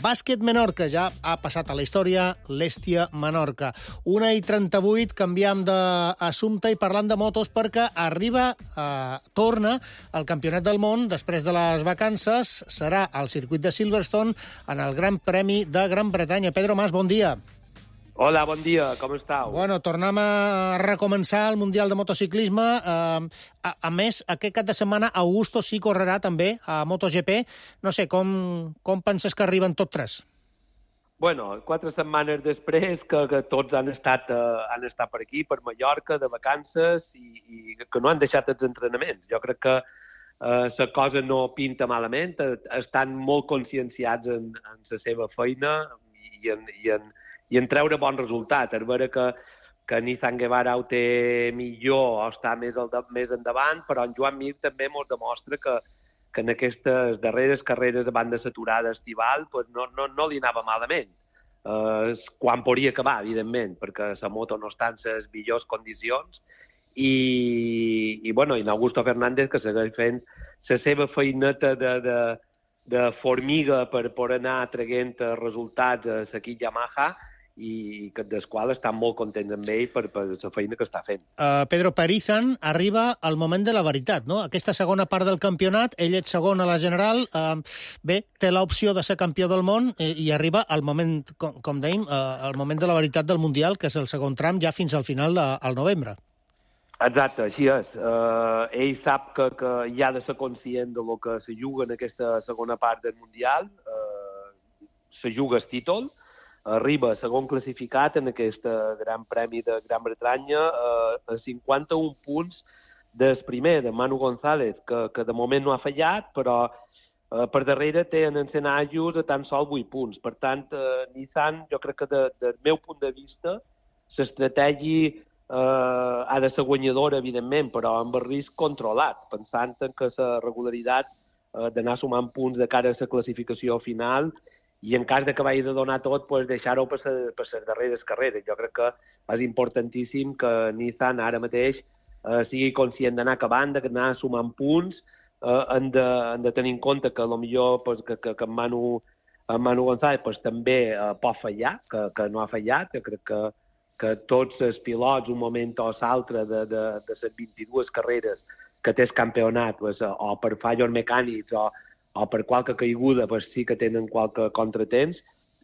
Bàsquet Menorca, ja ha passat a la història l'Hestia Menorca. una i trenta-vuit, canviem d'assumpte i parlant de motos perquè arriba, eh, torna al Campionat del Món després de les vacances. Serà al circuit de Silverstone en el Gran Premi de Gran Bretanya. Pedro Mas, bon dia.
Hola, bon dia, com estàu?
Bueno, tornem a recomençar el Mundial de Motociclisme. Eh, a, a més, aquest cap de setmana Augusto sí correrà també a MotoGP. No sé, com, com penses que arriben tots tres?
Bueno, quatre setmanes després que, que tots han estat, uh, han estat per aquí, per Mallorca, de vacances, i, i que no han deixat els entrenaments. Jo crec que uh, la cosa no pinta malament, estan molt conscienciats en, en la seva feina i en, i en i en treure bon resultat. És vera que, que Nissan Guevara ho té millor o està més, al de, més endavant, però en Joan Mir també ens demostra que, que en aquestes darreres carreres abans de l'aturada estival pues no, no, no li anava malament. Uh, quan podria acabar, evidentment, perquè la moto no està en les millors condicions i, i, bueno, i Augusto Fernández que segueix fent la seva feineta de, de, de formiga per, per anar traient resultats a l'equip Yamaha i que del qual estan molt contents amb ell per, per la feina que està fent.
Uh, Pedro Perizan arriba al moment de la veritat, no? Aquesta segona part del campionat, ell és segon a la general, uh, bé, té l'opció de ser campió del món i, i arriba al moment, com, com dèiem, uh, al moment de la veritat del Mundial, que és el segon tram, ja fins al final de, al novembre.
Exacte, així és. Uh, ell sap que, que hi ha de ser conscient de lo que se juga en aquesta segona part del Mundial, uh, se juga el títol, arriba segon classificat en aquest Gran Premi de Gran Bretanya eh, a cinquanta-un punts del primer, de Manu González, que, que de moment no ha fallat, però eh, per darrere té en Encenajos a tan sol vuit punts. Per tant, eh, Nissan, jo crec que de, del meu punt de vista, l'estratègia eh, ha de ser guanyadora, evidentment, però amb el risc controlat, pensant en que la regularitat eh, d'anar sumant punts de cara a la classificació final i en cas de que vagi de donar tot, pues, deixar-ho per les darreres carreres. Jo crec que és importantíssim que Nissan ara mateix eh, sigui conscient d'anar acabant, d'anar sumant punts, eh, hem, de, hem de tenir en compte que potser pues, que, que, que en Manu, en Manu González pues, també eh, pot fallar, que, que no ha fallat. Jo crec que, que tots els pilots, un moment o l'altre de, de, de les vint-i-dues carreres que té el campionat, pues, o per fallos mecànics o o per qualque caiguda pues, sí que tenen qualque contratemps,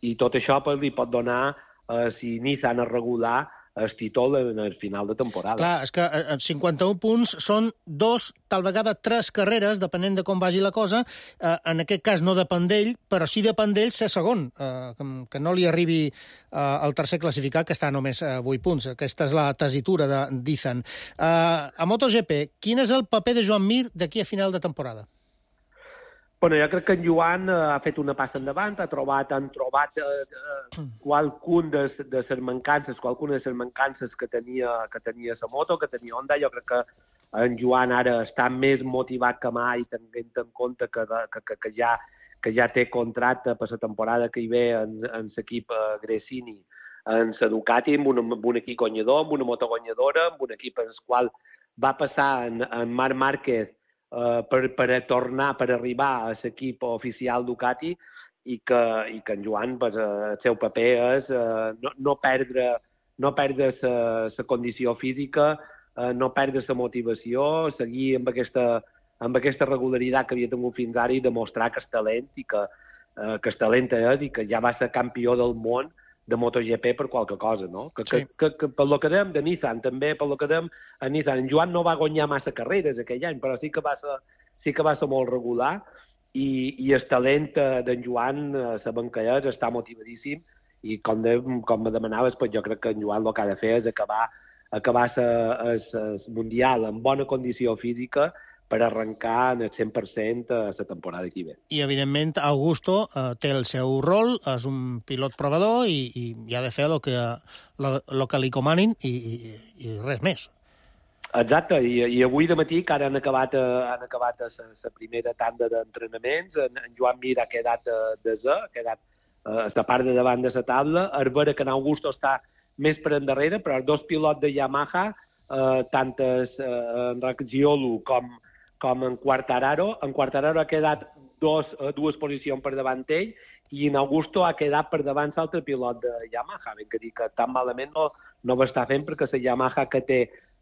i tot això pues, li pot donar, eh, si Nissan es regular, el títol en el final de temporada.
Clar, és que eh, cinquanta-un punts són dos, tal vegada tres carreres, depenent de com vagi la cosa. Eh, en aquest cas no depèn d'ell, però sí depèn d'ell ser segon, eh, que, que no li arribi eh, el tercer classificat, que està només a vuit punts. Aquesta és la tesitura de Nissan. Eh, a MotoGP, quin és el paper de Joan Mir d'aquí a final de temporada?
Bueno, jo crec que en Joan eh, ha fet una passa endavant, ha trobat, han trobat eh, eh, qualcun de, de les mancances, qualcuna de les mancances que tenia, que tenia la moto, que tenia Honda. Jo crec que en Joan ara està més motivat que mai, tenint en compte que, que, que, que, ja, que ja té contracte per la temporada que hi ve en, en l'equip eh, Gresini, en la Ducati, amb un, amb un equip guanyador, amb una moto guanyadora, amb un equip en el qual va passar en, en Marc Márquez Uh, per, per tornar, per arribar a l'equip oficial Ducati, i que, i que en Joan, pues, uh, el seu paper és uh, no, no perdre no perdre la condició física, uh, no perdre la motivació, seguir amb aquesta, amb aquesta regularitat que havia tingut fins ara i demostrar que és talent i que, uh, que és talent és i que ja va ser campió del món de MotoGP per qualque cosa, no? Que, sí. que, que, que per lo que dèiem de Nissan, també per lo que dèiem a Nissan, en Joan no va guanyar massa carreres aquell any, però sí que va ser, sí que va ser molt regular, i, i el talent d'en Joan, sabem que és, està motivadíssim, i com, de, com me demanaves, pues jo crec que en Joan el que ha de fer és acabar, acabar el Mundial en bona condició física per arrencar en el cent per cent a la temporada que ve.
I, evidentment, Augusto eh, té el seu rol, és un pilot provador i, i, i ha de fer el que, lo, lo que li comanin i, i, i res més.
Exacte, I, i avui de matí, que ara han acabat, han acabat la primera tanda d'entrenaments, en, en Joan Mir ha quedat desè, ha quedat a la part de davant de la taula, a veure que en Augusto està més per endarrere, però els dos pilots de Yamaha, eh, tant eh, en Raggiolo com com en Quartararo. En Quartararo ha quedat dos, dues posicions per davant ell i en Augusto ha quedat per davant l'altre pilot de Yamaha. Ben que dir que tan malament no, no ho està fent, perquè la Yamaha que té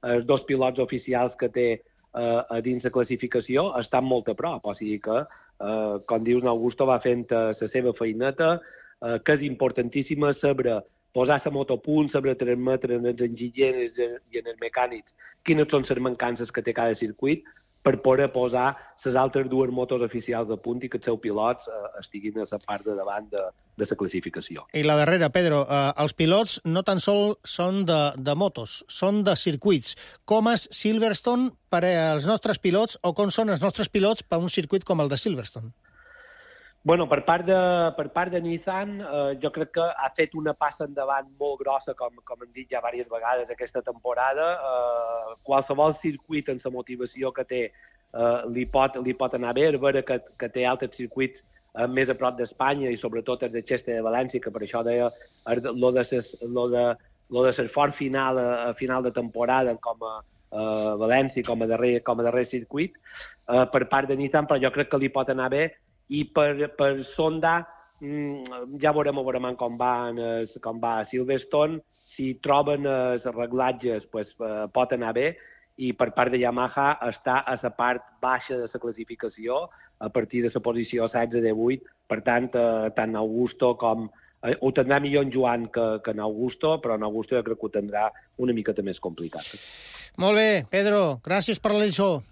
els dos pilots oficials que té eh, a dins la classificació estan molt a prop. O sigui que, eh, com dius, en Augusto va fent la seva feineta, eh, que és importantíssima saber posar la moto a punt, saber transmetre en els enginyers i en els mecànics quines són les mancances que té cada circuit, per poder posar les altres dues motos oficials a punt i que els seus pilots eh, estiguin a la part de davant de, de la classificació.
I la darrera, Pedro, eh, els pilots no tan sols són de, de motos, són de circuits. Com és Silverstone per als nostres pilots o com són els nostres pilots per un circuit com el de Silverstone?
Bueno, per part de, per part de Nissan, eh, jo crec que ha fet una passa endavant molt grossa, com, com hem dit ja diverses vegades aquesta temporada. Eh, qualsevol circuit en la motivació que té eh, li, pot, li pot anar bé, a veure que, que té altres circuits eh, més a prop d'Espanya i sobretot el de Xeste de València, que per això deia lo de ses, lo de, lo de ser fort final a, a final de temporada com a eh, València, com a darrer, com a darrer circuit, eh, per part de Nissan, però jo crec que li pot anar bé. I per, per Sonda mm, ja veurem, veurem com va, en, com va a Silverstone. Si troben els reglatges, pues, eh, pot anar bé, i per part de Yamaha està a la part baixa de la classificació, a partir de la posició setze de vuit. Per tant, eh, tant Augusto com... Eh, ho tindrà millor en Joan que, que en Augusto, però en Augusto jo crec que ho tindrà una miqueta més complicat.
Molt bé, Pedro, gràcies per la lliçó.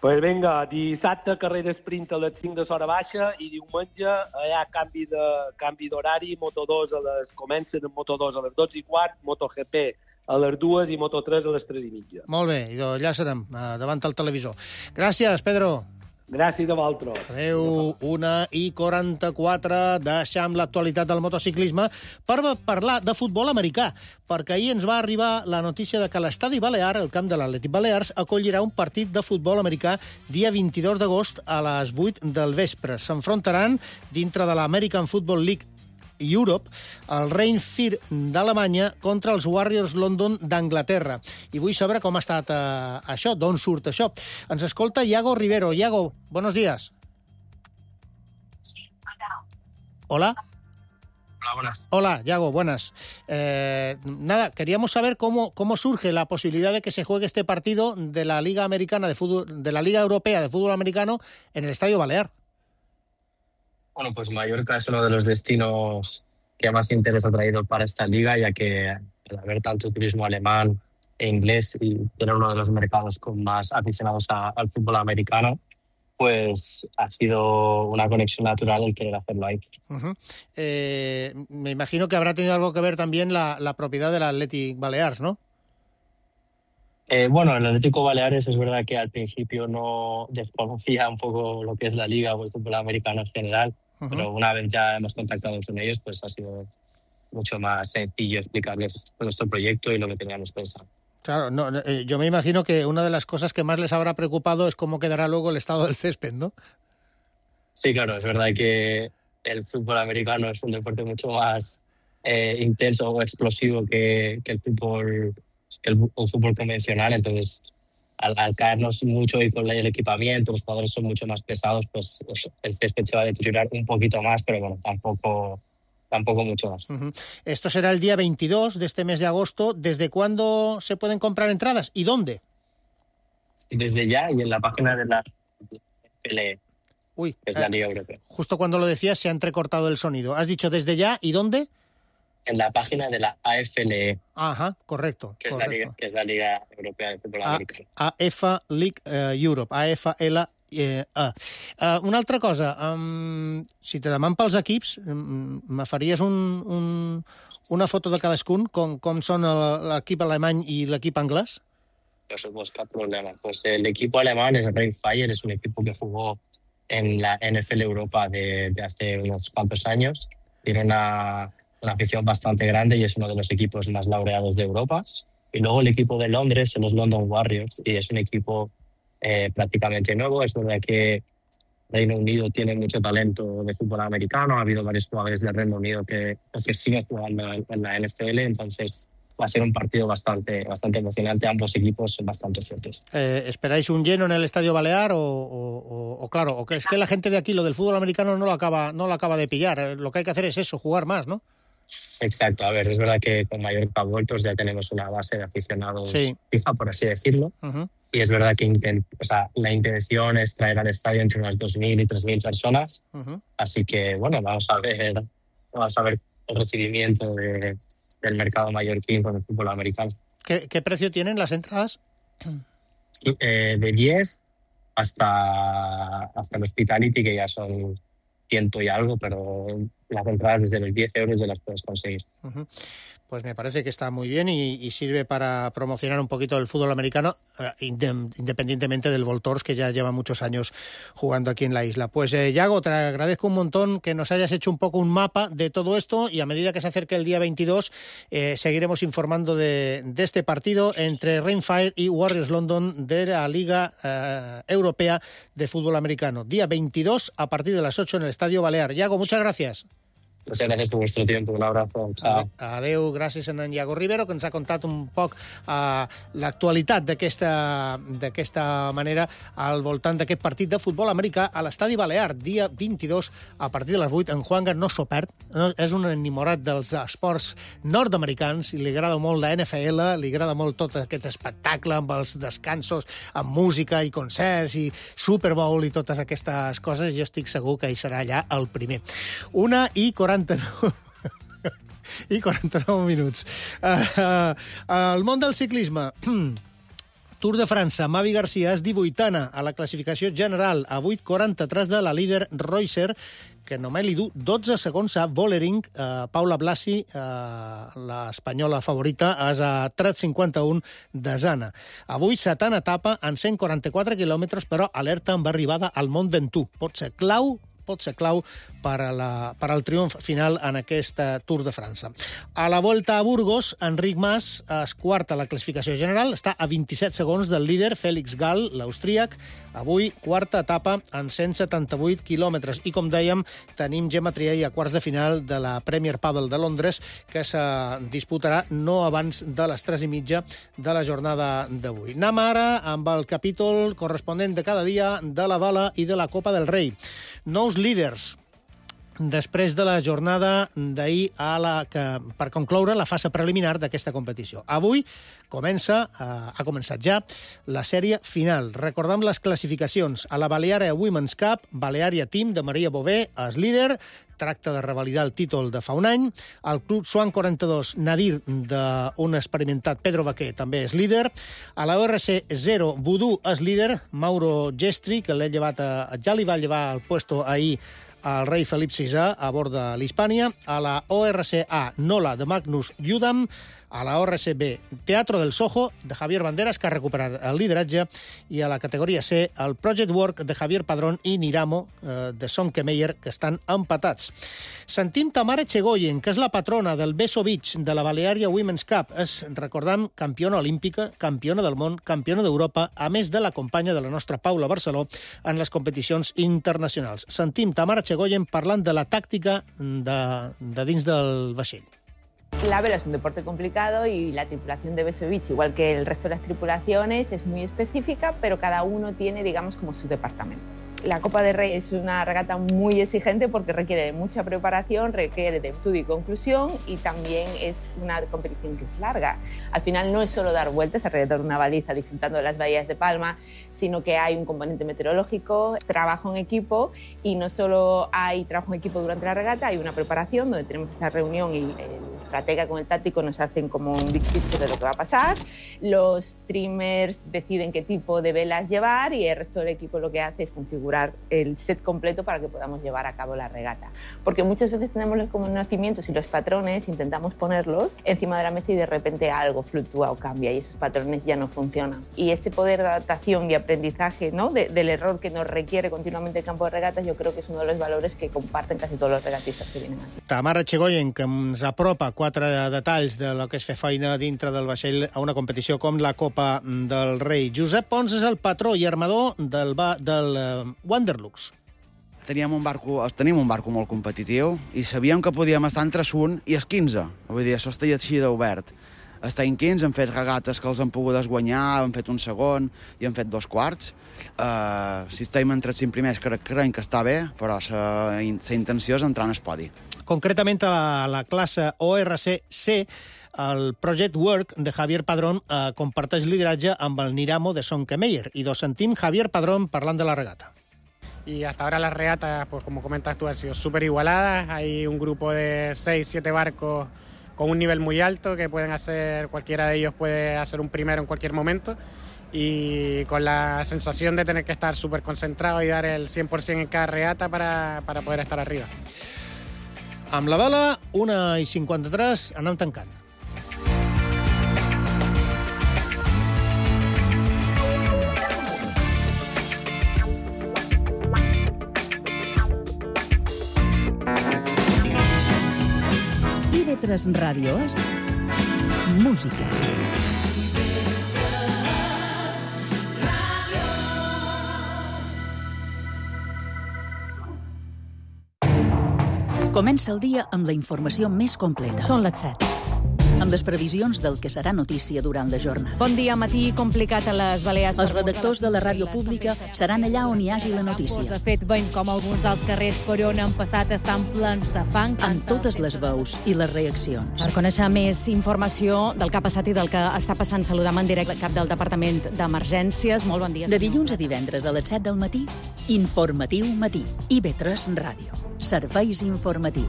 Pues vinga, dissabte carrera sprint a les cinc de l'hora baixa i diumenge hi ha canvi de canvi d'horari, Moto dos a les, comencen en Moto dos a les dotze i quart, MotoGP a les dues i Moto tres a les tres i mitja.
Molt bé, i allà serem, davant el televisor. Gràcies, Pedro.
Gràcies a vosaltres.
Adéu, una i quaranta-quatre, deixam l'actualitat del motociclisme per parlar de futbol americà, perquè ahir ens va arribar la notícia de que l'Estadi Balear, el camp de l'Atlètic Balears, acollirà un partit de futbol americà dia vint-i-dos d'agost a les vuit del vespre. S'enfrontaran dintre de l'American Football League Europe, el Rhein-Fir d'Alemanya contra els Warriors London d'Anglaterra. I vull saber com ha estat eh, això, d'on surt això. Ens escolta Iago Rivero. Iago, buenos días. Hola.
Hola, buenas.
Hola, Iago, buenas. Eh, nada, queríamos saber cómo, cómo surge la posibilidad de que se juegue este partido de la Liga Americana de Fútbol, de la Liga Europea de Fútbol Americano en el Estadio Balear.
Bueno, pues Mallorca es uno de los destinos que más interés ha traído para esta liga, ya que al haber tanto turismo alemán e inglés y tener uno de los mercados con más aficionados a, al fútbol americano, pues ha sido una conexión natural el querer hacerlo ahí.
Uh-huh. Eh, me imagino que habrá tenido algo que ver también la, la propiedad del Athletic Balears, ¿no?
Eh, bueno, el Atlético Baleares es verdad que al principio no desconocía un poco lo que es la liga o el fútbol americano en general, uh-huh. pero una vez ya hemos contactado con ellos, pues ha sido mucho más sencillo explicarles nuestro proyecto y lo que teníamos pensado.
Claro, no, eh, yo me imagino que una de las cosas que más les habrá preocupado es cómo quedará luego el estado del césped, ¿no?
Sí, claro, es verdad que el fútbol americano es un deporte mucho más eh, intenso o explosivo que, que el fútbol que el, el fútbol convencional, entonces al, al caernos mucho y con el equipamiento, los jugadores son mucho más pesados, pues el césped se va a deteriorar un poquito más, pero bueno, tampoco, tampoco mucho más.
Uh-huh. Esto será el día veintidós de este mes de agosto. ¿Desde cuándo se pueden comprar entradas y dónde?
Desde ya y en la página de la F L E,
Uy,
que es la Liga Europea.
Justo cuando lo decías se ha entrecortado el sonido. ¿Has dicho desde ya y dónde?
En la página de la A F L E.
Ajá, correcto.
Que,
correcto.
Es, la Liga, que es la Liga Europea de Fútbol
A,
Americano.
A F A League uh, Europe, A F L E. Uh, una altra cosa, um, si te deman pels equips, um, me faries un, un, una foto de cadascun, com, com són l'equip alemany i l'equip anglès?
No se busca problema. Pues el equipo alemán es Rhein-Fire, es un equipo que jugó en la N F L Europa de, de hace unos cuantos años. Tiene una... una afición bastante grande y es uno de los equipos más laureados de Europa. Y luego el equipo de Londres son los London Warriors y es un equipo eh, prácticamente nuevo. Es verdad que Reino Unido tiene mucho talento de fútbol americano. Ha habido varios jugadores del Reino Unido que, que siguen jugando en, en la N F L, entonces va a ser un partido bastante, bastante emocionante. Ambos equipos son bastante fuertes.
Eh, ¿Esperáis un lleno en el Estadio Balear o, o, o, o claro, o que es que la gente de aquí lo del fútbol americano no lo acaba, no lo acaba de pillar? Lo que hay que hacer es eso, jugar más, ¿no?
Exacto, a ver, es verdad que con Mallorca Vueltos ya tenemos una base de aficionados
sí.
fija, por así decirlo,
uh-huh.
y es verdad que intent, o sea, la intención es traer al estadio entre unas dos mil y tres mil personas,
uh-huh.
así que bueno, vamos a ver, vamos a ver el recibimiento de, del mercado mallorquín con el fútbol americano.
¿Qué, qué precio tienen las entradas?
Eh, de diez hasta, hasta el Hospitality, que ya son ciento y algo, pero las entradas desde los diez euros ya las puedes conseguir.
Uh-huh. Pues me parece que está muy bien y, y sirve para promocionar un poquito el fútbol americano, eh, independientemente del Voltors, que ya lleva muchos años jugando aquí en la isla. Pues, eh, Iago, te agradezco un montón que nos hayas hecho un poco un mapa de todo esto y a medida que se acerque el día veintidós eh, seguiremos informando de, de este partido entre Rhein-Fire y Warriors London de la Liga eh, Europea de Fútbol Americano. Día veintidós a partir de las ocho en el Estadio Balear. Iago, muchas gracias.
Muchas gracias por vuestro tiempo. Un abrazo. Chao.
Adéu, gràcies a en Iago Rivero, que ens ha contat un poc uh, l'actualitat d'aquesta manera al voltant d'aquest partit de futbol americà a l'Estadi Balear, dia vint-i-dos, a partir de les vuit. En Juanga no s'ho perd, no? És un enamorat dels esports nord-americans i li agrada molt la N F L, li agrada molt tot aquest espectacle amb els descansos, amb música i concerts i Super Bowl i totes aquestes coses. Jo estic segur que hi serà allà el primer. Una i quaranta-nou i quaranta-nou minuts. Uh, uh, el món del ciclisme. Tour de França. Mavi Garcia és divuitena a la classificació general, a vuit quaranta-tres de la líder Reusser, que només li du dotze segons a Vollering. Uh, Paula Blasi, uh, l'espanyola favorita, és a tres cinquanta-un de Zana. Avui, setena etapa en cent quaranta-quatre quilòmetres, però alerta amb arribada al Mont Ventoux. Pot ser clau pot ser clau per, a la, per al triomf final en aquesta Tour de França. A la Volta a Burgos, Enric Mas és quart a la classificació general, està a vint-i-set segons del líder Félix Gall, l'austríac. Avui, quarta etapa en cent setanta-vuit quilòmetres. I, com dèiem, tenim Gemma Triay a quarts de final de la Premier Padel de Londres, que se disputarà no abans de les tres i mitja de la jornada d'avui. Anem ara amb el capítol corresponent de cada dia de la Bala i de la Copa del Rei. Nous líders després de la jornada d'ahir a la que, per concloure la fase preliminar d'aquesta competició. Avui comença, eh, ha començat ja, la sèrie final. Recordem les classificacions. A la Balearia Women's Cup, Balearia Team de Maria Bové és líder, tracta de revalidar el títol de fa un any. El Club Swan quaranta-dos, Nadir, d'un experimentat Pedro Baquer, també és líder. A la O R C zero, Vudú és líder, Mauro Gestri, que l'he llevat a, ja li va llevar el puesto ahir al rei Felip sisè a bord de l'Hispània. A la O R C A, Nola, de Magnus Judam. A la O R C B, Teatro del Soho, de Javier Banderas, que ha recuperat el lideratge. I a la categoria C, el Project Work, de Javier Padrón, i Niramo, eh, de Sonke Meyer, que estan empatats. Sentim Tamara Chegoyen, que és la patrona del Beso Beach de la Balearia Women's Cup. És, recordem, campiona olímpica, campiona del món, campiona d'Europa, a més de la companya de la nostra Paula Barceló en les competicions internacionals. Sentim Tamara Chegoyen parlant de la tàctica de, de dins del vaixell.
La vela es un deporte complicado y la tripulación de Beso Beach, igual que el resto de las tripulaciones, es muy específica, pero cada uno tiene, digamos, como su departamento. La Copa del Rey es una regata muy exigente porque requiere de mucha preparación, requiere de estudio y conclusión, y también es una competición que es larga. Al final no es solo dar vueltas alrededor de una baliza disfrutando de las bahías de Palma, sino que hay un componente meteorológico, trabajo en equipo, y no solo hay trabajo en equipo durante la regata, hay una preparación donde tenemos esa reunión y el estratega con el táctico nos hacen como un big picture de lo que va a pasar. Los streamers deciden qué tipo de velas llevar y el resto del equipo lo que hace es configurar el set completo para que podamos llevar a cabo la regata. Porque muchas veces tenemos los conocimientos y los patrones, intentamos ponerlos encima de la mesa y de repente algo fluctúa o cambia y esos patrones ya no funcionan. Y ese poder de adaptación y aprendizaje, ¿no?, de, del error que nos requiere continuamente el campo de regatas, yo creo que es uno de los valores que comparten casi todos los regatistas que vienen aquí.
Tamara Chegoyen, que ens apropa quatre detalls de lo que és fer feina dintre del vaixell a una competició com la Copa del Rei. Josep Pons és el patró i armador del, del uh, Wanderlux.
Teníem un barco, tenim un barco molt competitiu i sabíem que podíem estar entre un i els quinze. Vull dir, això està així d'obert. Estem quinze, hem fet regates que els han pogut guanyar, hem fet un segon i hem fet dos quarts. Uh, si estem entre els cinc primers, crec, crec que està bé, però la intenció és entrar en el podi.
Concretament a la, la classe O R C C, el Project Work de Javier Padrón eh, comparteix lideratge amb el Niramo de Sonke Meyer. I dos sentim Javier Padrón parlant de la regata.
Y hasta ahora las regatas, pues como comentas tú, han sido súper igualadas. Hay un grupo de seis, siete barcos con un nivel muy alto que pueden hacer, cualquiera de ellos puede hacer un primero en cualquier momento, y con la sensación de tener que estar súper concentrado y dar el cien por ciento en cada regata para, para poder estar arriba.
Amb la vela, una i cinquanta-tres, anem tancant.
I ve tres Ràdio és música. Comença el dia amb la informació més completa.
Són les set.
Amb les previsions del que serà notícia durant la jornada.
Bon dia, matí complicat a les Balears.
Els redactors de la ràdio pública seran allà on hi hagi la notícia.
De fet, veiem com alguns dels carrers per on han passat estan plens de fang.
Amb totes les veus i les reaccions.
Per conèixer més informació del que ha passat i del que està passant, saludam en directe el cap del Departament d'Emergències. Molt bon dia.
De dilluns a divendres a les set del matí, Informatiu Matí. I ve tres Ràdio. Serveis informatius.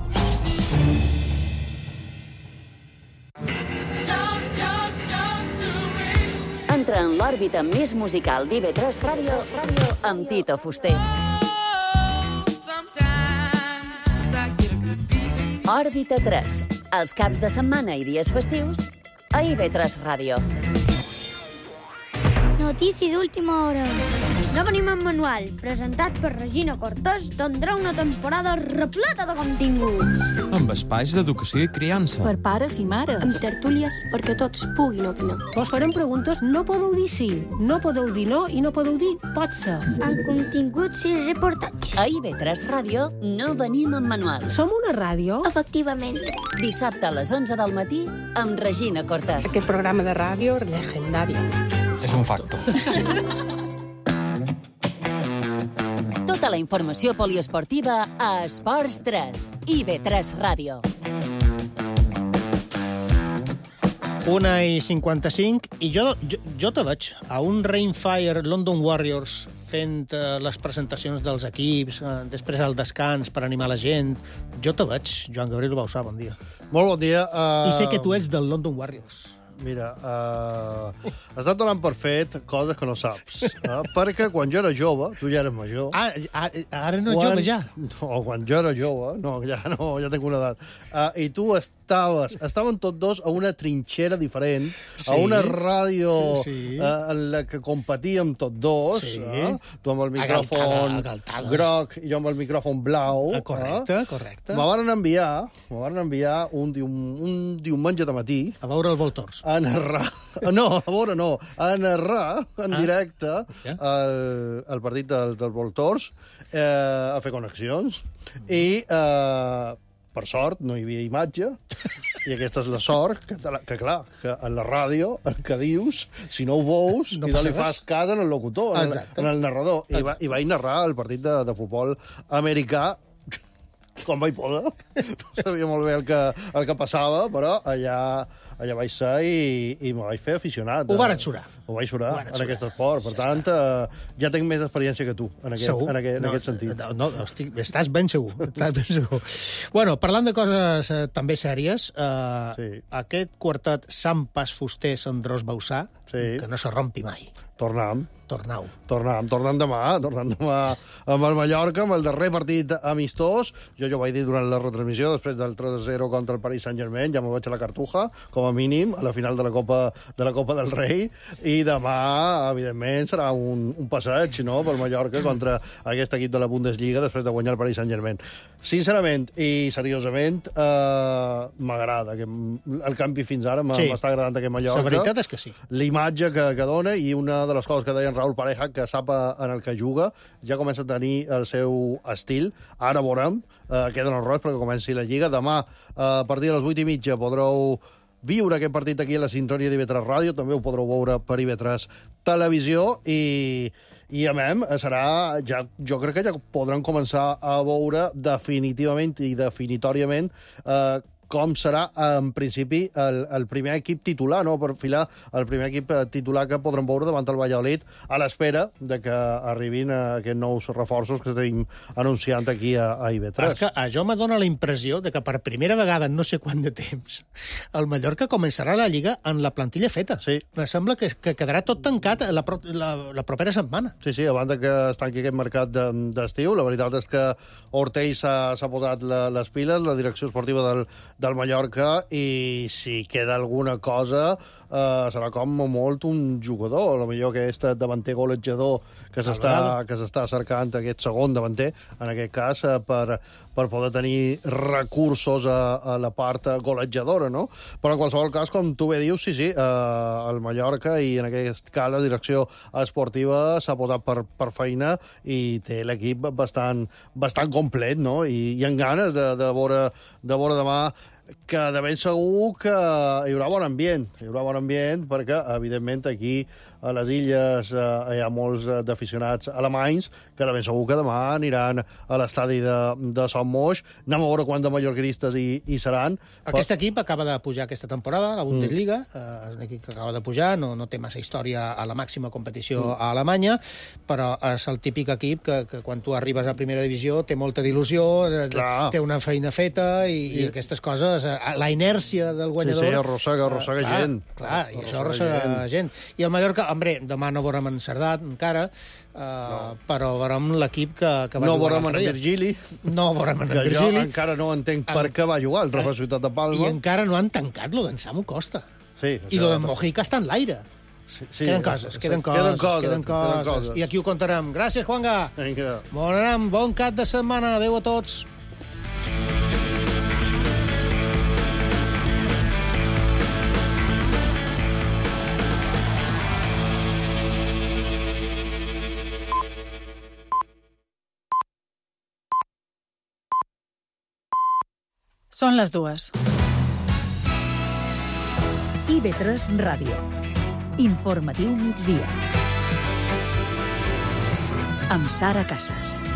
Entra en l'òrbita més musical d'I V tres Ràdio amb Tito Fuster. Òrbita tres, els caps de setmana i dies festius a I V tres Ràdio.
Notícies d'última hora. No venim en manual, presentat per Regina Cortés, tindrà una temporada repleta de continguts.
Amb espais d'educació i criança.
Per pares i mares. Amb tertúlies perquè tots puguin opinar.
Vos farem preguntes, no podeu dir sí, no podeu dir no i no podeu dir pot ser.
Amb continguts i reportatges.
A I V tres Ràdio no venim en manual.
Som una ràdio?
Efectivament.
Dissabte a les onze del matí amb Regina Cortés.
Aquest programa de ràdio legendari.
És un facto.
Tota la informació poliesportiva a Esports tres, I V tres Ràdio.
Una i cinquanta-cinc, i jo, jo, jo te veig a un Rainfire London Warriors fent uh, les presentacions dels equips, uh, després al descans per animar la gent. Jo te veig, Joan Gabriel Bausà, bon dia.
Molt bon dia. Uh...
I sé que tu ets del London Warriors.
Mira, uh, estàs donant per fet coses que no saps. Uh, perquè quan jo era jove, tu ja eres major...
Ah, ara no ets jove, ja?
No, quan jo era jove, no, ja no, ja tinc una edat. Uh, I tu estaves, estàvem tots dos a una trinxera diferent, sí, a una ràdio sí, uh, en la que competíem tots dos, sí, uh, tu amb el micròfon agaltada, groc i jo amb el micròfon blau.
Uh, correcte,
uh,
correcte.
Me van enviar, me van enviar un, dium, un diumenge de matí...
A veure el Voltors.
A narrar, no, a veure no, a narrar en ah, directe yeah. el, el partit del, del Voltors, eh, a fer connexions, i eh, per sort no hi havia imatge, i aquesta és la sort, que, que clar, que en la ràdio el que dius, si no ho veus, no i no li fas cas en el locutor, en, en el narrador, i, va, i vaig narrar el partit de, de futbol americà, com vaig poder. No sabia molt bé el que, el que passava, però allà, allà vaig ser i, i me vaig fer aficionat.
Ho varen xurar.
Ho vaig xurar en aquest esport. Per ja tant, eh, ja tinc més experiència que tu en aquest,
segur?
en aquest,
no,
en aquest sentit.
No, no, estic, estàs ben segur. Estàs ben segur. Bueno, parlant de coses eh, també sèries, eh, sí. aquest quartet Sant Pas Fuster Sandrós Bausà, sí. que no se rompi mai.
Tornam.
Tornau.
Tornam, tornem demà, tornem demà amb el Mallorca, amb el darrer partit amistós. Jo ja ho vaig dir durant la retransmissió, després del tres a zero contra el Paris Saint-Germain, ja m'ho vaig a la cartuja, com a mínim, a la final de la Copa, de la Copa del Rei, i demà, evidentment, serà un, un passeig, no?, pel Mallorca contra aquest equip de la Bundesliga després de guanyar el Paris Saint-Germain. Sincerament i seriosament, eh, m'agrada. El canvi fins ara m'està sí. agradant aquest Mallorca.
La veritat és que sí.
L'imatge que, que dona, i una de les coses que deien Raúl Pareja, que sap en el que juga, ja comença a tenir el seu estil. Ara veurem, eh, queden els rots perquè comenci la Lliga. Demà, eh, a partir de les vuit i mitja, podreu viure aquest partit aquí a la sintonia d'I V tres Ràdio, també ho podreu veure per I V tres Televisió, i, i a mem, serà, ja, jo crec que ja podran començar a veure definitivament i definitoriament eh, com serà, en principi, el, el primer equip titular, no?, per filar el primer equip titular que podrem veure davant el Valladolid, a l'espera de que arribin aquests nous reforços que estem anunciant aquí a, a I V tres.
És que això me dona la impressió de que per primera vegada en no sé quant de temps el Mallorca començarà la Lliga en la plantilla feta.
Sí.
Me sembla que, que quedarà tot tancat la, la, la propera setmana.
Sí, sí, abans que es tanqui aquest mercat d'estiu, la veritat és que Ortell s'ha posat la, les piles, la direcció esportiva del del Mallorca, i si queda alguna cosa eh, serà com a molt un jugador, potser aquest davanter golejador que s'està que s'està cercant, aquest segon davanter, en aquest cas, eh, per, per poder tenir recursos a, a la part golejadora, no? Però en qualsevol cas, com tu bé dius, sí, sí, eh, el Mallorca i en aquest cas la direcció esportiva s'ha posat per, per feina i té l'equip bastant, bastant complet, no? I, i amb ganes de, de, veure, de veure demà que de ben segur que hi haurà bon ambient. Hi haurà bon ambient perquè, evidentment, aquí a les illes eh, hi ha molts d'aficionats alemanys que de ben segur que demà aniran a l'estadi de, de Son Moix. Anem a veure quants de mallorquinistes hi, hi seran.
Aquest però... equip acaba de pujar aquesta temporada, la Bundesliga, mm. eh, és un equip que acaba de pujar, no, no té massa història a la màxima competició mm. a Alemanya, però és el típic equip que, que quan tu arribes a primera divisió té molta d'il·lusió, Clar. té una feina feta i, I... i aquestes coses, la inèrcia del guanyador...
Sí, sí, arrossega, arrossega
uh, clar,
gent.
Clar, i això arrossega gent. gent. I el Mallorca, hombre, demà no veurem en Cerdat encara, uh, no. però veurem l'equip que, que va
no
jugar
l'altre dia. No veurem en Virgili.
No veurem en
que
Virgili.
Jo encara no entenc per en... què va jugar el Trofeu Ciutat de Palma.
I encara no han tancat lo d'en Samu Costa.
Sí,
I lo de Mojica està en l'aire.
Sí, sí,
queden coses,
sí,
queden, coses,
queden coses,
queden coses,
queden coses.
I aquí ho contarem. Gràcies, Juanga.
Vinga.
Bon anem, bon cap de setmana. Adéu a tots.
Són les dues.
I ve tres Ràdio. Informatiu migdia. Amb Sara Casas.